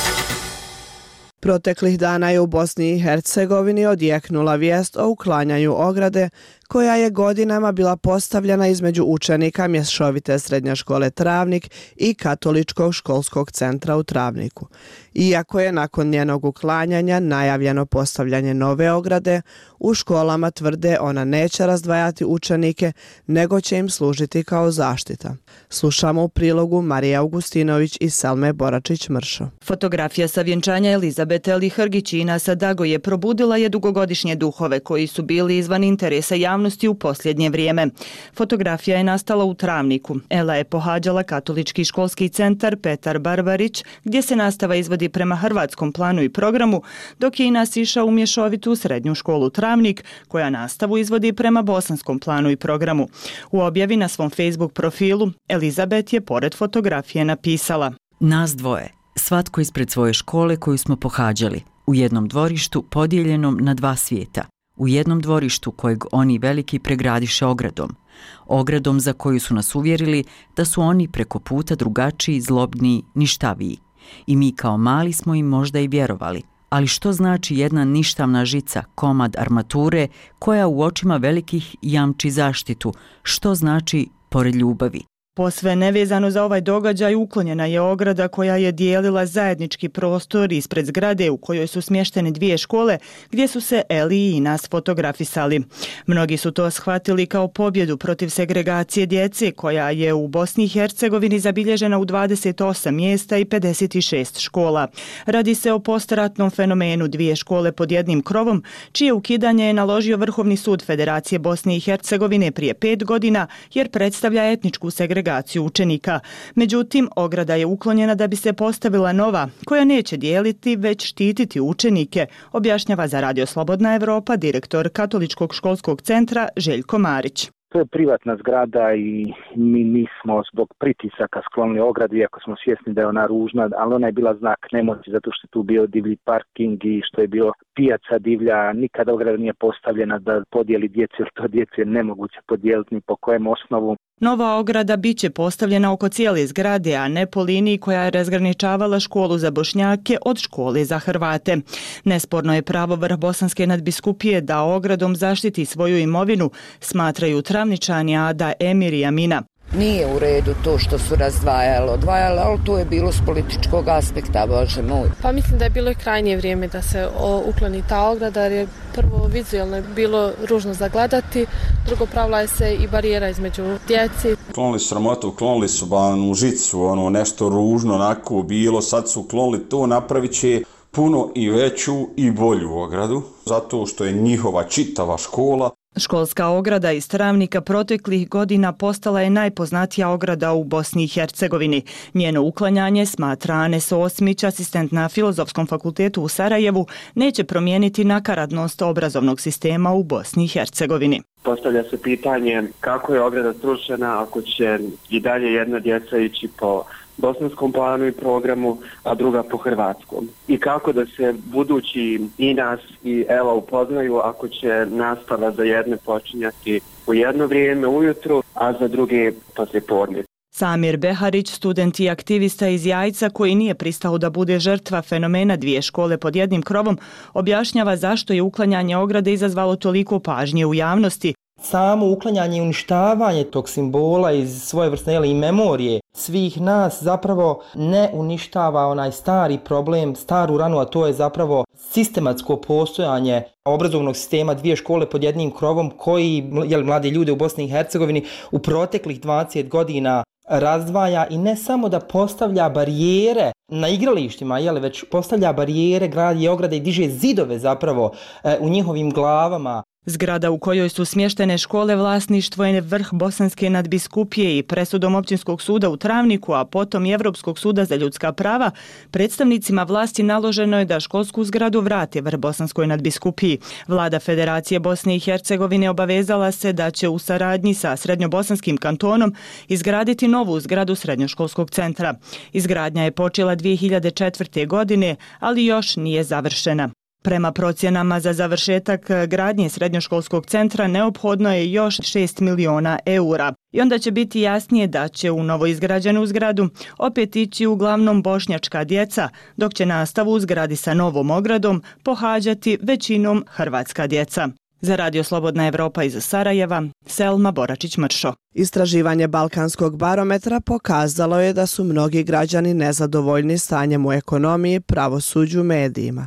Proteklih dana je u Bosni i Hercegovini odjeknula vijest o uklanjanju ograde koja je godinama bila postavljena između učenika mješovite srednje škole Travnik i Katoličkog školskog centra u Travniku. Iako je nakon njenog uklanjanja najavljeno postavljanje nove ograde, u školama tvrde ona neće razdvajati učenike, nego će im služiti kao zaštita. Slušamo u prilogu Marija Augustinović i Selme Boračić-Mršo. Fotografija sa vjenčanja Elizabete Ali Hrgić i Inasa Dagoje probudila je dugogodišnje duhove koji su bili izvan interesa javnosti u posljednje vrijeme. Fotografija je nastala u Travniku. Ela je pohađala Katolički školski centar Petar Barbarić, gdje se nastava izvodi prema hrvatskom planu i programu, dok je Inas išao u mješovitu srednju školu Travnik, koja nastavu izvodi prema bosanskom planu i programu. U objavi na svom Facebook profilu Elizabet je pored fotografije napisala: Nas dvoje, svatko ispred svoje škole koju smo pohađali, u jednom dvorištu podijeljenom na dva svijeta, u jednom dvorištu kojeg oni veliki pregradiše ogradom za koju su nas uvjerili da su oni preko puta drugačiji, zlobniji, ništaviji. I mi kao mali smo im možda i vjerovali. Ali što znači jedna ništavna žica, komad armature, koja u očima velikih jamči zaštitu? Što znači pored ljubavi? Posve nevezano za ovaj događaj uklonjena je ograda koja je dijelila zajednički prostor ispred zgrade u kojoj su smještene dvije škole gdje su se Eli i Inas fotografisali. Mnogi su to shvatili kao pobjedu protiv segregacije djece koja je u Bosni i Hercegovini zabilježena u 28 mjesta i 56 škola. Radi se o postratnom fenomenu dvije škole pod jednim krovom, čije ukidanje je naložio Vrhovni sud Federacije Bosne i Hercegovine prije 5 godina jer predstavlja etničku segregaciju učenika. Međutim, ograda je uklonjena da bi se postavila nova, koja neće dijeliti, već štititi učenike, objašnjava za Radio Slobodna Evropa direktor Katoličkog školskog centra Željko Marić. To je privatna zgrada i mi nismo zbog pritisaka sklonili ogradu, iako smo svjesni da je ona ružna, ali ona je bila znak nemoći zato što je tu bio divlji parking i što je bilo pijaca divlja. Nikada ograda nije postavljena da podijeli djeci, jer to djeci je nemoguće podijeliti ni po kojem osnovu. Nova ograda bit će postavljena oko cijele zgrade, a ne po liniji koja je razgraničavala školu za Bošnjake od škole za Hrvate. Nesporno je pravo Vrhbosanske nadbiskupije da ogradom zaštiti svoju imovinu, smatraju Travničani Ada, Emir i Amina. Nije u redu to što su odvajali, ali to je bilo s političkog aspekta, Bože moj. Pa mislim da je bilo i krajnje vrijeme da se ukloni ta ograda, jer je prvo vizualno bilo ružno zagledati, drugo pravila je se i barijera između djeci. Klonili su sramotu, klonili su u žicu, nešto ružno onako bilo, sad su klonili to, napravit će puno i veću i bolju ogradu, zato što je njihova čitava škola. Školska ograda iz Travnika proteklih godina postala je najpoznatija ograda u Bosni i Hercegovini. Njeno uklanjanje, smatra Anes Osmić, asistent na Filozofskom fakultetu u Sarajevu, neće promijeniti nakaradnost obrazovnog sistema u Bosni i Hercegovini. Postavlja se pitanje kako je ograda srušena ako će i dalje jedna djeca ići po bosanskom planu i programu, a druga po hrvatskom. I kako da se budući i nas i Ela upoznaju ako će nastava za jedne počinjati u jedno vrijeme ujutru, a za druge poslijepodne. Samir Beharić, student i aktivista iz Jajca koji nije pristao da bude žrtva fenomena dvije škole pod jednim krovom, objašnjava zašto je uklanjanje ograde izazvalo toliko pažnje u javnosti. Samo uklanjanje i uništavanje tog simbola iz svojevrsne i memorije svih nas zapravo ne uništava onaj stari problem, staru ranu, a to je zapravo sistematsko postojanje obrazovnog sistema dvije škole pod jednim krovom koji mlade ljude u Bosni i Hercegovini u proteklih 20 godina razdvaja i ne samo da postavlja barijere na igralištima, već postavlja barijere, gradi ograde i diže zidove zapravo u njihovim glavama. Zgrada u kojoj su smještene škole vlasništvo je Vrhbosanske nadbiskupije i presudom Općinskog suda u Travniku, a potom i Evropskog suda za ljudska prava, predstavnicima vlasti naloženo je da školsku zgradu vrate Vrhbosanskoj nadbiskupiji. Vlada Federacije Bosne i Hercegovine obavezala se da će u saradnji sa Srednjobosanskim kantonom izgraditi novu zgradu srednjoškolskog centra. Izgradnja je počela 2004. godine, ali još nije završena. Prema procjenama za završetak gradnje srednjoškolskog centra neophodno je još 6 miliona eura. I onda će biti jasnije da će u novoizgrađenu zgradu opet ići uglavnom bošnjačka djeca, dok će nastavu u zgradi sa novom ogradom pohađati većinom hrvatska djeca. Za Radio Slobodna Evropa iz Sarajeva, Selma Boračić-Mršo. Istraživanje Balkanskog barometra pokazalo je da su mnogi građani nezadovoljni stanjem u ekonomiji, pravosuđu, medijima.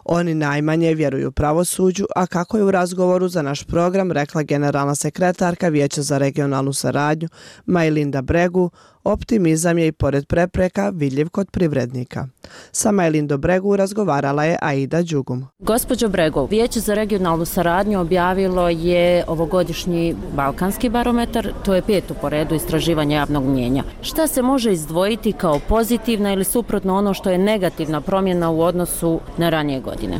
Oni najmanje vjeruju pravosuđu, a kako je u razgovoru za naš program rekla generalna sekretarka Vijeća za regionalnu saradnju Majlinda Bregu, optimizam je i pored prepreka vidljiv kod privrednika. Sa Majlindom Bregu razgovarala je Aida Đugum. Gospođo Bregu, Vijeće za regionalnu saradnju objavilo je ovogodišnji Balkanski barometar, to je 5. po redu istraživanja javnog mnijenja. Šta se može izdvojiti kao pozitivna ili suprotno ono što je negativna promjena u odnosu na ranije godine?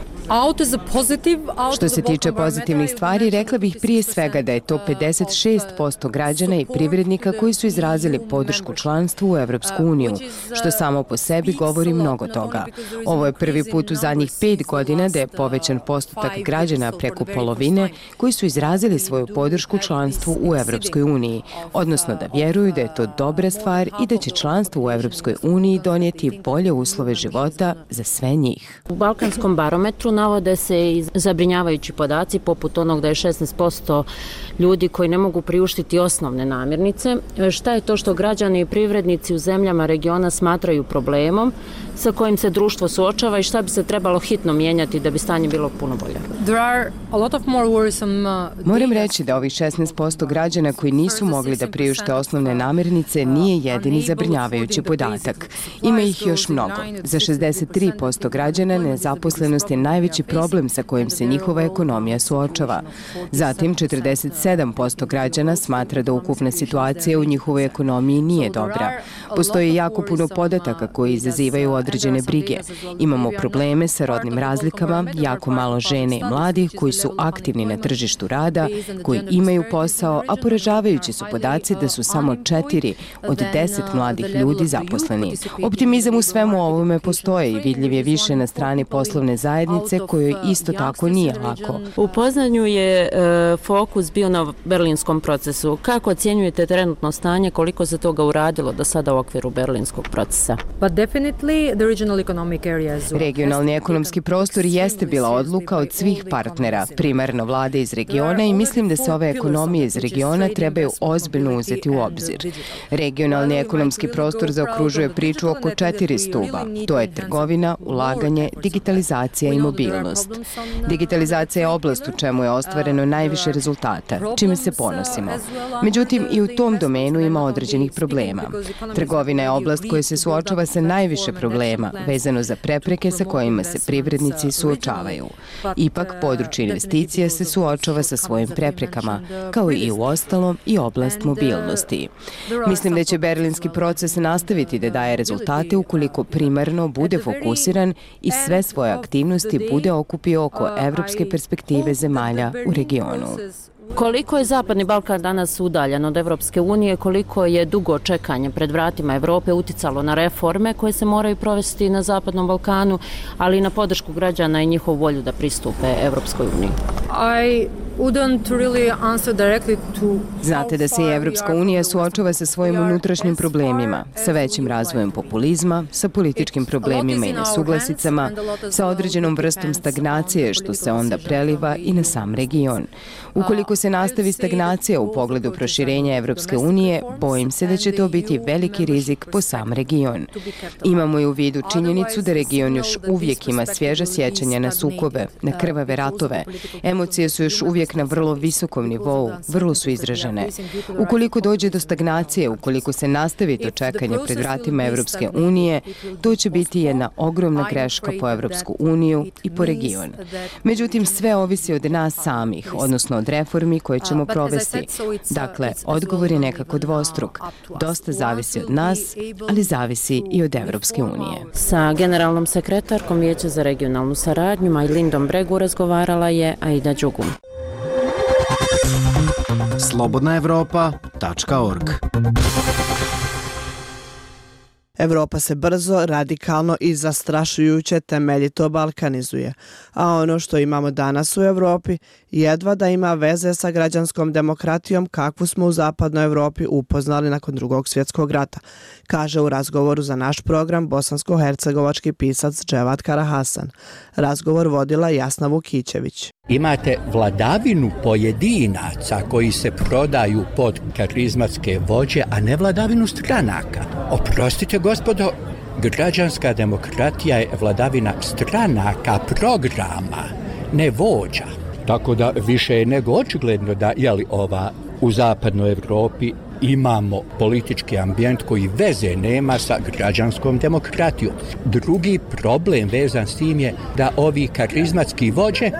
Što se tiče pozitivnih stvari, rekla bih prije svega da je to 56% građana i privrednika koji su izrazili podršku članstvu u Evropsku uniju, što samo po sebi govori mnogo toga. Ovo je prvi put u zadnjih 5 godina da je povećan postotak građana preko polovine koji su izrazili svoju podršku članstvu u Evropskoj uniji, odnosno da vjeruju da je to dobra stvar i da će članstvo u Evropskoj uniji donijeti bolje uslove života za sve njih. U Balkanskom barometru navode se i zabrinjavajući podaci poput onog da je 16% ljudi koji ne mogu priuštiti osnovne namirnice. Šta je to što građani i privrednici u zemljama regiona smatraju problemom sa kojim se društvo suočava i šta bi se trebalo hitno mijenjati da bi stanje bilo puno bolje? Moram reći da ovih 16% građana koji nisu mogli da priušte osnovne namirnice nije jedini zabrinjavajući podatak. Ima ih još mnogo. Za 63% građana nezaposlenost je najveća najveći problem sa kojim se njihova ekonomija suočava. Zatim, 47% građana smatra da ukupna situacija u njihovoj ekonomiji nije dobra. Postoji jako puno podataka koji izazivaju određene brige. Imamo probleme sa rodnim razlikama, jako malo žene i mladih koji su aktivni na tržištu rada, koji imaju posao, a poražavajući su podaci da su samo 4 od 10 mladih ljudi zaposleni. Optimizam u svemu ovome postoje i vidljiv je više na strani poslovne zajednice kojoj isto tako nije lako. U Poznanju je fokus bio na berlinskom procesu. Kako ocjenjujete trenutno stanje, koliko se toga uradilo do sada u okviru berlinskog procesa? Regionalni ekonomski prostor jeste bila odluka od svih partnera, primarno vlade iz regiona, i mislim da se ove ekonomije iz regiona trebaju ozbiljno uzeti u obzir. Regionalni ekonomski prostor zaokružuje priču oko 4 stuba. To je trgovina, ulaganje, digitalizacija i mobilnost. Digitalizacija je oblast u čemu je ostvareno najviše rezultata, čime se ponosimo. Međutim, i u tom domenu ima određenih problema. Trgovina je oblast koja se suočava sa najviše problema, vezano za prepreke sa kojima se privrednici suočavaju. Ipak, područje investicija se suočava sa svojim preprekama, kao i u ostalom i oblast mobilnosti. Mislim da će berlinski proces nastaviti da daje rezultate ukoliko primarno bude fokusiran i sve svoje aktivnosti bude okupio oko evropske perspektive zemalja u regionu. Koliko je Zapadni Balkan danas udaljen od Evropske unije, koliko je dugo čekanje pred vratima Evrope uticalo na reforme koje se moraju provesti na Zapadnom Balkanu, ali i na podršku građana i njihovu volju da pristupe Evropskoj uniji? Znate da se i Evropska unija suočava sa svojim unutrašnjim problemima, sa većim razvojem populizma, sa političkim problemima i nesuglasicama, sa određenom vrstom stagnacije što se onda preliva i na sam region. Ukoliko se nastavi stagnacija u pogledu proširenja Evropske unije, bojim se da će to biti veliki rizik po sam region. Imamo i u vidu činjenicu da region još uvijek ima svježa sjećanja na sukobe, na krvave ratove. Emocije su još uvijek na vrlo visokom nivou, vrlo su izražene. Ukoliko dođe do stagnacije, ukoliko se nastavi to čekanje pred vratima Evropske unije, to će biti jedna ogromna greška po Evropsku uniju i po region. Međutim, sve ovisi od nas samih, odnosno od reformi koje ćemo provesti. Dakle, odgovor je nekako dvostruk. Dosta zavisi od nas, ali zavisi i od Evropske unije. Sa generalnom sekretarkom Vijeća za regionalnu saradnju Majlindom Bregu razgovarala je Aida Đugum. slobodnaevropa.org. Evropa se brzo, radikalno i zastrašujuće temeljito balkanizuje, a ono što imamo danas u Evropi jedva da ima veze sa građanskom demokratijom kakvu smo u zapadnoj Evropi upoznali nakon Drugog svjetskog rata, kaže u razgovoru za naš program bosansko-hercegovački pisac Dževat Karahasan. Razgovor vodila Jasna Vukićević. Imate vladavinu pojedinaca koji se prodaju pod karizmatske vođe, a ne vladavinu stranaka. Oprostite, gospodo, građanska demokratija je vladavina stranaka, programa, ne vođa. Tako da više je nego očigledno da u zapadnoj Evropi imamo politički ambijent koji veze nema sa građanskom demokratijom. Drugi problem vezan s tim je da ovi karizmatski vođe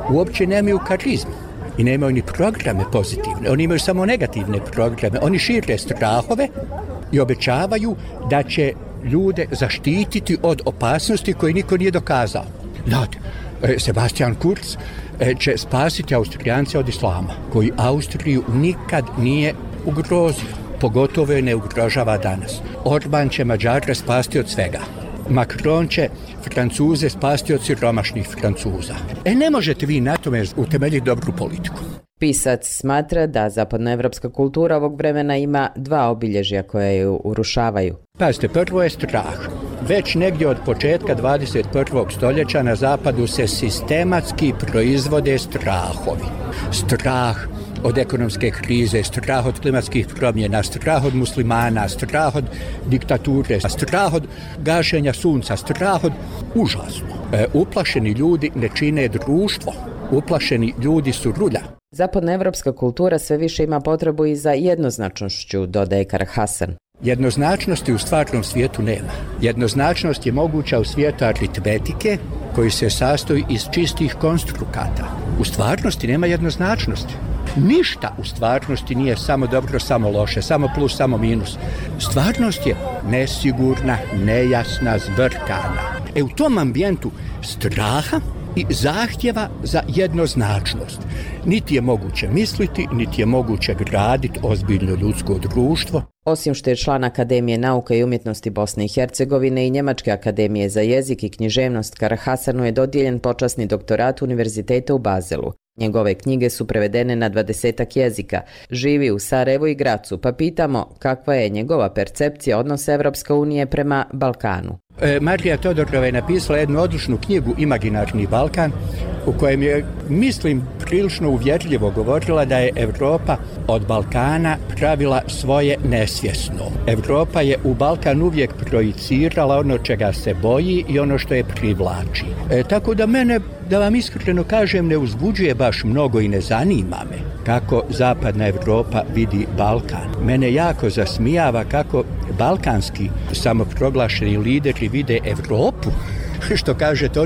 uopće nemaju karizmu i nemaju ni programe pozitivne. Oni imaju samo negativne programe. Oni šire strahove i obećavaju da će ljude zaštititi od opasnosti koje niko nije dokazao. Znate, Sebastian Kurz će spasiti Austrijance od islama, koji Austriju nikad nije ugrozio, pogotovo je ne ugrožava danas. Orban će Mađare spasti od svega. Macron će Francuze spasti od siromašnih Francuza. Ne možete vi na tome utemeljiti dobru politiku. Pisac smatra da zapadnoevropska kultura ovog vremena ima dva obilježja koje ju urušavaju. Pazite, prvo je strah. Već negdje od početka 21. stoljeća na zapadu se sistematski proizvode strahovi. Strah od ekonomske krize, strah od klimatskih promjena, strah od muslimana, strah od diktature, strah od gašenja sunca, strah od užasno. Uplašeni ljudi ne čine društvo, uplašeni ljudi su rulja. Zapadnoevropska kultura sve više ima potrebu i za jednoznačnošću, dodaje Karahasan. Jednoznačnosti u stvarnom svijetu nema. Jednoznačnost je moguća u svijetu aritmetike koji se sastoji iz čistih konstrukata. U stvarnosti nema jednoznačnosti. Ništa u stvarnosti nije samo dobro, samo loše, samo plus, samo minus. Stvarnost je nesigurna, nejasna, zbrkana. U tom ambijentu straha i zahtjeva za jednoznačnost. Niti je moguće misliti, niti je moguće graditi ozbiljno ljudsko društvo. Osim što je član Akademije nauka i umjetnosti Bosne i Hercegovine i Njemačke akademije za jezik i književnost, Karahasanu je dodijeljen počasni doktorat Univerziteta u Bazelu. Njegove knjige su prevedene na 20 jezika. Živi u Sarajevu i Gracu, pa pitamo kakva je njegova percepcija odnosa Evropske unije prema Balkanu. Marija Todorova je napisala jednu odličnu knjigu Imaginarni Balkan, u kojem je, mislim, prilično uvjerljivo govorila da je Evropa od Balkana pravila svoje nesvjesno. Evropa je u Balkan uvijek projicirala ono čega se boji i ono što je privlači. Tako da mene, da vam iskreno kažem, ne uzbuđuje baš mnogo i ne zanima me kako zapadna Evropa vidi Balkan. Mene jako zasmijava kako balkanski samoproglašeni lideri vide Evropu, što kažete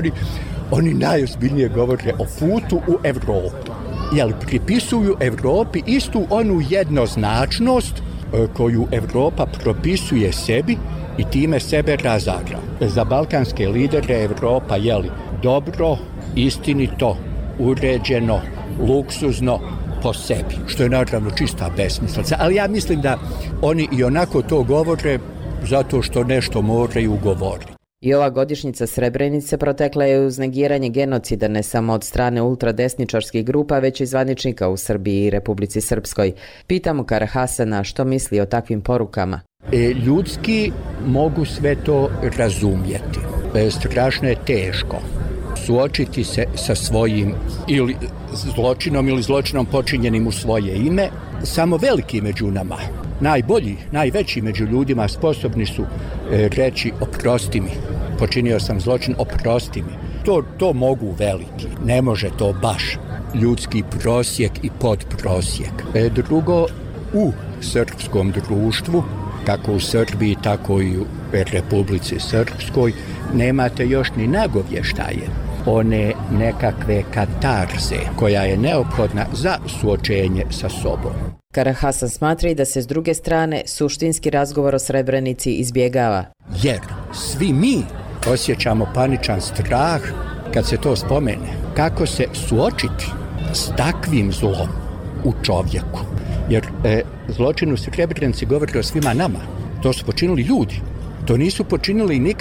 oni najozbiljnije govore o putu u Evropu. Jel pripisuju Evropi istu onu jednoznačnost koju Evropa propisuje sebi i time sebe razara. Za balkanske lidere Evropa je dobro, istinito, uređeno, luksuzno po sebi, što je naravno čista besmislica. Ali ja mislim da oni i onako to govore zato što nešto moraju govoriti. I ova godišnjica Srebrenice protekla je uz negiranje genocida ne samo od strane ultradesničarskih grupa, već i zvaničnika u Srbiji i Republici Srpskoj. Pitamo Karahasana što misli o takvim porukama. Ljudski mogu sve to razumjeti. Strašno je teško suočiti se sa svojim ili zločinom ili zločinom počinjenim u svoje ime. Samo veliki među nama, najbolji, najveći među ljudima sposobni su reći oprosti mi, počinio sam zločin, oprosti mi. To mogu veliki, ne može to baš ljudski prosjek i podprosjek. Drugo, u srpskom društvu, kako u Srbiji, tako i u Republici Srpskoj, nemate još ni nagovještaje one nekakve katarze koja je neophodna za suočenje sa sobom. Karahasan smatra i da se s druge strane suštinski razgovor o Srebrenici izbjegava. Jer svi mi osjećamo paničan strah kad se to spomene. Kako se suočiti s takvim zlom u čovjeku? Jer zločin u Srebrenici govori o svima nama. To su počinili ljudi. To nisu počinili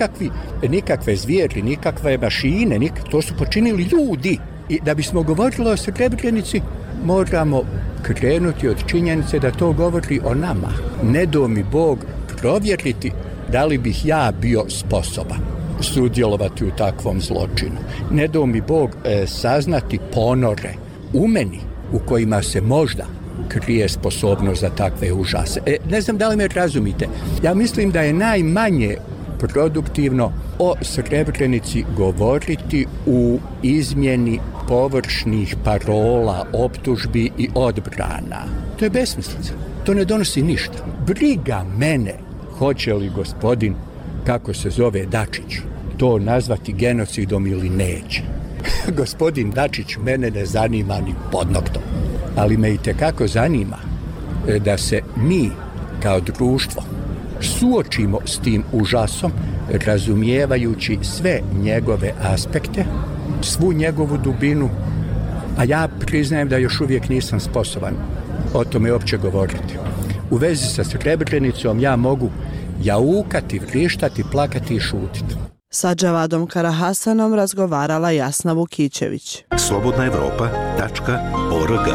nikakve zvijeri, nikakve mašine, to su počinili ljudi. I da bismo govorili o Srebrenici, moramo krenuti od činjenice da to govori o nama. Ne do mi Bog provjeriti da li bih ja bio sposoban sudjelovati u takvom zločinu. Ne do mi Bog saznati ponore u meni u kojima se možda krije sposobnost za takve užase. Ne znam da li me razumite. Ja mislim da je najmanje produktivno o Srebrenici govoriti u izmjeni površnih parola, optužbi i odbrana. To je besmislica. To ne donosi ništa. Briga mene hoće li gospodin, kako se zove Dačić, to nazvati genocidom ili neće. Gospodin Dačić mene ne zanima ni pod noktom. Ali me itekako zanima da se mi kao društvo suočimo s tim užasom, razumijevajući sve njegove aspekte, svu njegovu dubinu, a ja priznajem da još uvijek nisam sposoban o tome uopće govoriti. U vezi sa Srebrenicom ja mogu jaukati, vrištati, plakati i šutiti. Sa Džavadom Karahasanom razgovarala Jasna Vukićević. slobodnaevropa.org.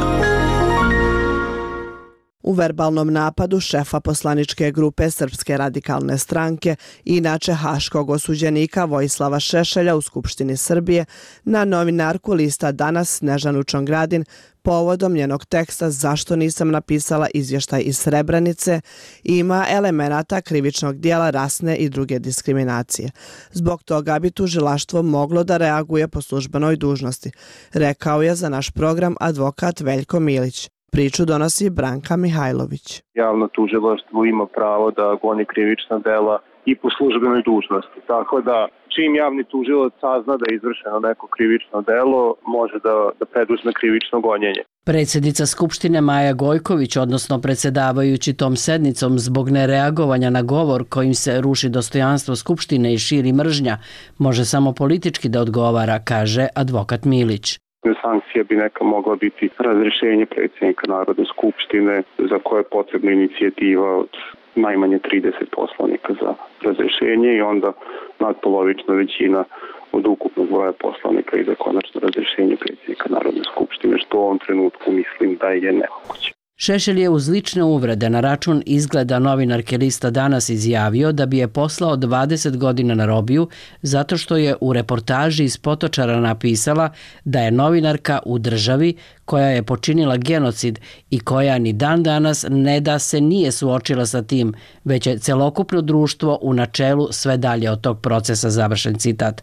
U verbalnom napadu šefa poslaničke grupe Srpske radikalne stranke i inače haškog osuđenika Vojislava Šešelja u Skupštini Srbije na novinarku lista Danas Snežanu Čongradin povodom njenog teksta Zašto nisam napisala izvještaj iz Srebrenice ima elemenata krivičnog dijela rasne i druge diskriminacije. Zbog toga bi tužilaštvo moglo da reaguje po službenoj dužnosti, rekao je za naš program advokat Veljko Milić. Priču donosi Branka Mihajlović. Javno tužilaštvo ima pravo da goni krivična dela i po službenoj dužnosti. Tako da čim javni tužilac sazna da je izvršeno neko krivično delo, može da preduzme krivično gonjenje. Predsjednica Skupštine Maja Gojković, odnosno predsjedavajući tom sednicom zbog nereagovanja na govor kojim se ruši dostojanstvo Skupštine i širi mržnja, može samo politički da odgovara, kaže advokat Milić. Sankcija bi neka mogla biti razrješenje predsjednika Narodne skupštine za koje je potrebna inicijativa od najmanje 30 poslanika za razrješenje i onda nadpolovična većina od ukupnog broja poslanika i za konačno razrješenje predsjednika Narodne skupštine, što u ovom trenutku mislim da je nemoguće. Šešelj je uz lične uvrede na račun izgleda novinarke lista Danas izjavio da bi je poslao 20 godina na robiju zato što je u reportaži iz Potočara napisala da je novinarka u državi koja je počinila genocid i koja ni dan danas ne da se nije suočila sa tim, već je celokupno društvo u načelu sve dalje od tog procesa, završen citat.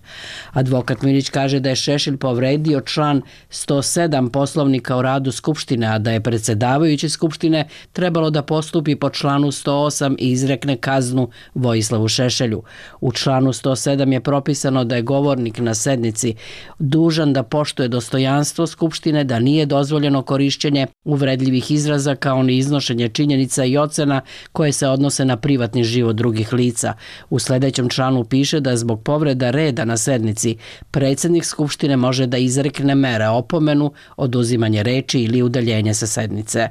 Advokat Milić kaže da je Šešelj povredio član 107 Poslovnika o radu Skupštine, a da je predsjedavajući Skupštine trebalo da postupi po članu 108 i izrekne kaznu Vojislavu Šešelju. U članu 107 je propisano da je govornik na sednici dužan da poštuje dostojanstvo Skupštine, da nije dozvoljeno korišćenje uvredljivih izraza kao ni iznošenje činjenica i ocena koje se odnose na privatni život drugih lica. U sljedećem članu piše da zbog povreda reda na sednici predsjednik Skupštine može da izrekne mere opomenu, oduzimanje reči ili udaljenje sa sednice.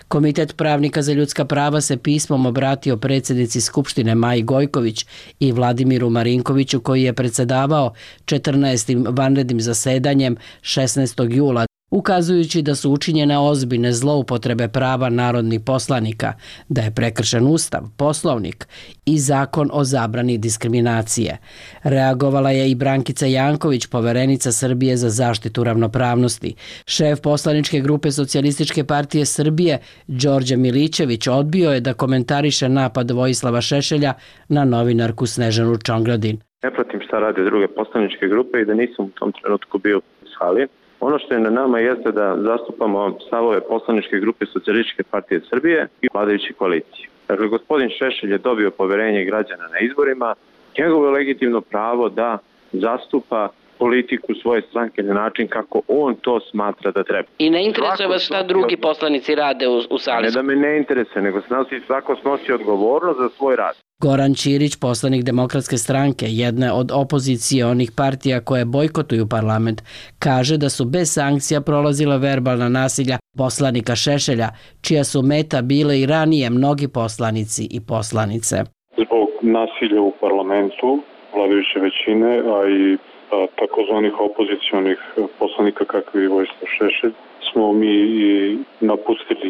Komitet pravnika za ljudska prava se pismom obratio predsjednici Skupštine Maji Gojković i Vladimiru Marinkoviću koji je predsjedavao 14. vanrednim zasedanjem 16. jula, ukazujući da su učinjene ozbiljne zloupotrebe prava narodnih poslanika, da je prekršen Ustav, Poslovnik i Zakon o zabrani diskriminacije. Reagovala je i Brankica Janković, poverenica Srbije za zaštitu ravnopravnosti. Šef poslaničke grupe Socijalističke partije Srbije, Đorđe Milićević, odbio je da komentariše napad Vojislava Šešelja na novinarku Snežanu Čongradin. Ne pratim šta rade druge poslaničke grupe i da nisam u tom trenutku bio u sali. Ono što je na nama jeste da zastupamo stavove poslaničke grupe Socijalističke partije Srbije i vladajuće koalicije. Dakle, gospodin Šešelj je dobio poverenje građana na izborima. Njegovo je legitimno pravo da zastupa politiku svoje stranke na način kako on to smatra da treba. I ne interesuje vas šta drugi poslanici rade u sali? Ne da me ne interesuje, nego svako snosi odgovornost za svoj rad. Goran Ćirić, poslanik Demokratske stranke, jedne od opozicionih partija koje bojkotuju parlament, kaže da su bez sankcija prolazila verbalna nasilja poslanika Šešelja, čija su meta bile i ranije mnogi poslanici i poslanice. Zbog nasilja u parlamentu, vladajuće većine, a i takozvanih opozicionih poslanika kakvi je Vojislav Šešelj, smo mi i napustili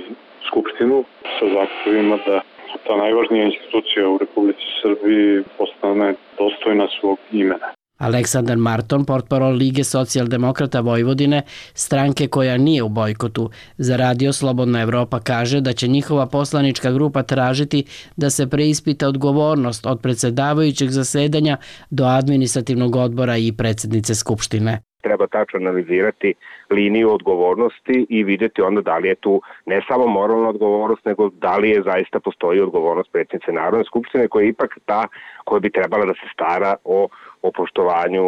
Skupštinu sa zahtjevima da ta najvažnija institucija u Republici Srbiji postane dostojna svog imena. Aleksandar Marton, portparol Lige socijaldemokrata Vojvodine, stranke koja nije u bojkotu za Radio Slobodna Evropa, kaže da će njihova poslanička grupa tražiti da se preispita odgovornost od predsjedavajućeg zasedanja do administrativnog odbora i predsjednice Skupštine. Treba tačno analizirati liniju odgovornosti i vidjeti onda da li je tu ne samo moralna odgovornost, nego da li je zaista postoji odgovornost predsjednice Narodne skupštine koja je ipak ta koja bi trebala da se stara o poštovanju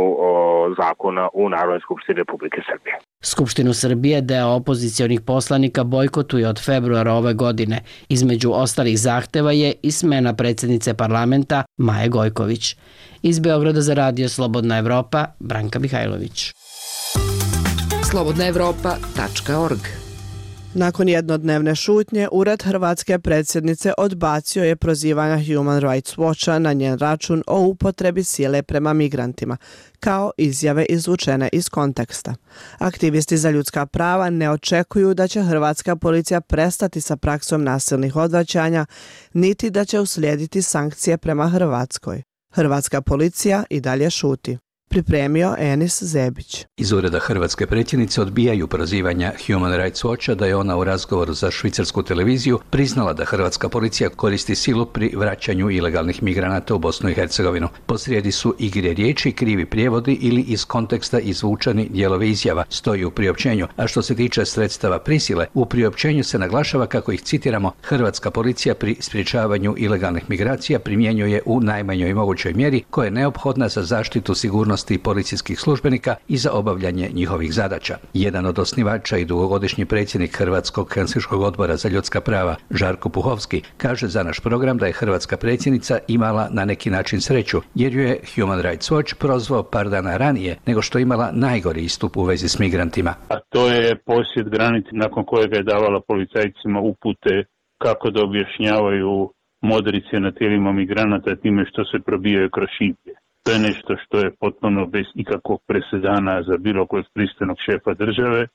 zakona u Narodnoj skupštini Republike Srbije. Skupštinu Srbije deo opozicionih poslanika bojkotuje od februara ove godine. Između ostalih zahteva je i smena predsjednice parlamenta Maje Gojković. Iz Beograda za Radio Slobodna Evropa, Branka Mihajlović. slobodnaevropa.org. Nakon jednodnevne šutnje, Ured hrvatske predsjednice odbacio je prozivanja Human Rights Watcha na njen račun o upotrebi sile prema migrantima, kao izjave izvučene iz konteksta. Aktivisti za ljudska prava ne očekuju da će hrvatska policija prestati sa praksom nasilnih odvraćanja, niti da će uslijediti sankcije prema Hrvatskoj. Hrvatska policija i dalje šuti. pripremio Enis Zebić. Iz ureda hrvatske predsjednice odbijaju prozivanja Human Rights Watcha da je ona u razgovoru za švicarsku televiziju priznala da hrvatska policija koristi silu pri vraćanju ilegalnih migranata u Bosnu i Hercegovinu. Posrijedi su igre riječi, krivi prijevodi ili iz konteksta izvučeni dijelovi izjava, stoji u priopćenju. A što se tiče sredstava prisile, u priopćenju se naglašava kako ih, citiramo, hrvatska policija pri sprječavanju ilegalnih migracija primjenjuje u najmanjoj mogućoj mjeri koja je neophodna za zaštitu sigurnosti policijskih službenika i za obavljanje njihovih zadaća. Jedan od osnivača i dugogodišnji predsjednik Hrvatskog Helsinškog odbora za ljudska prava, Žarko Puhovski, kaže za naš program da je hrvatska predsjednica imala na neki način sreću, jer ju je Human Rights Watch prozvao par dana ranije nego što imala najgori istup u vezi s migrantima. A to je posjet granice nakon kojega je davala policajcima upute kako da objašnjavaju modrice na tijelima migranata time što se probijaju kroz šiblje. To je nešto što je potpuno bez ikakvog presedana za bilo kojeg pristojnog šefa države.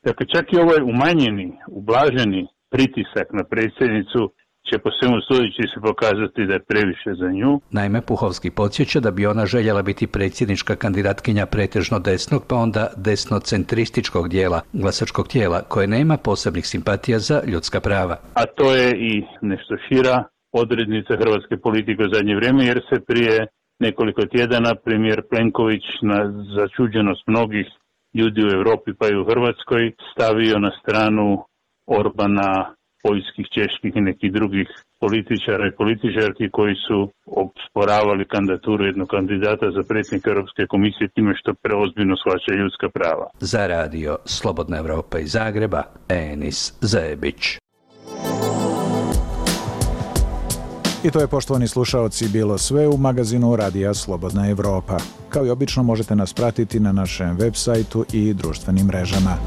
Dakle, čak i ovaj umanjeni, ublaženi pritisak na predsjednicu će po svemu sudeći se pokazati da je previše za nju. Naime, Puhovski podsjeća da bi ona željela biti predsjednička kandidatkinja pretežno desnog, pa onda desnocentrističkog dijela glasačkog tijela, koje nema posebnih simpatija za ljudska prava. A to je i nešto šira odrednica hrvatske politike u zadnje vrijeme, jer se prije nekoliko tjedana premijer Plenković na začuđenost mnogih ljudi u Europi pa i u Hrvatskoj stavio na stranu Orbana, poljskih, čeških i nekih drugih političara i političarki koji su osporavali kandidaturu jednog kandidata za predsjednika Europske komisije time što preozbiljno shvaća ljudska prava. Za radio Slobodna Evropa iz Zagreba, Enis Zebić. I to je, poštovani slušaoci, bilo sve u magazinu Radija Slobodna Evropa. Kao i obično možete nas pratiti na našem web sajtu i društvenim mrežama.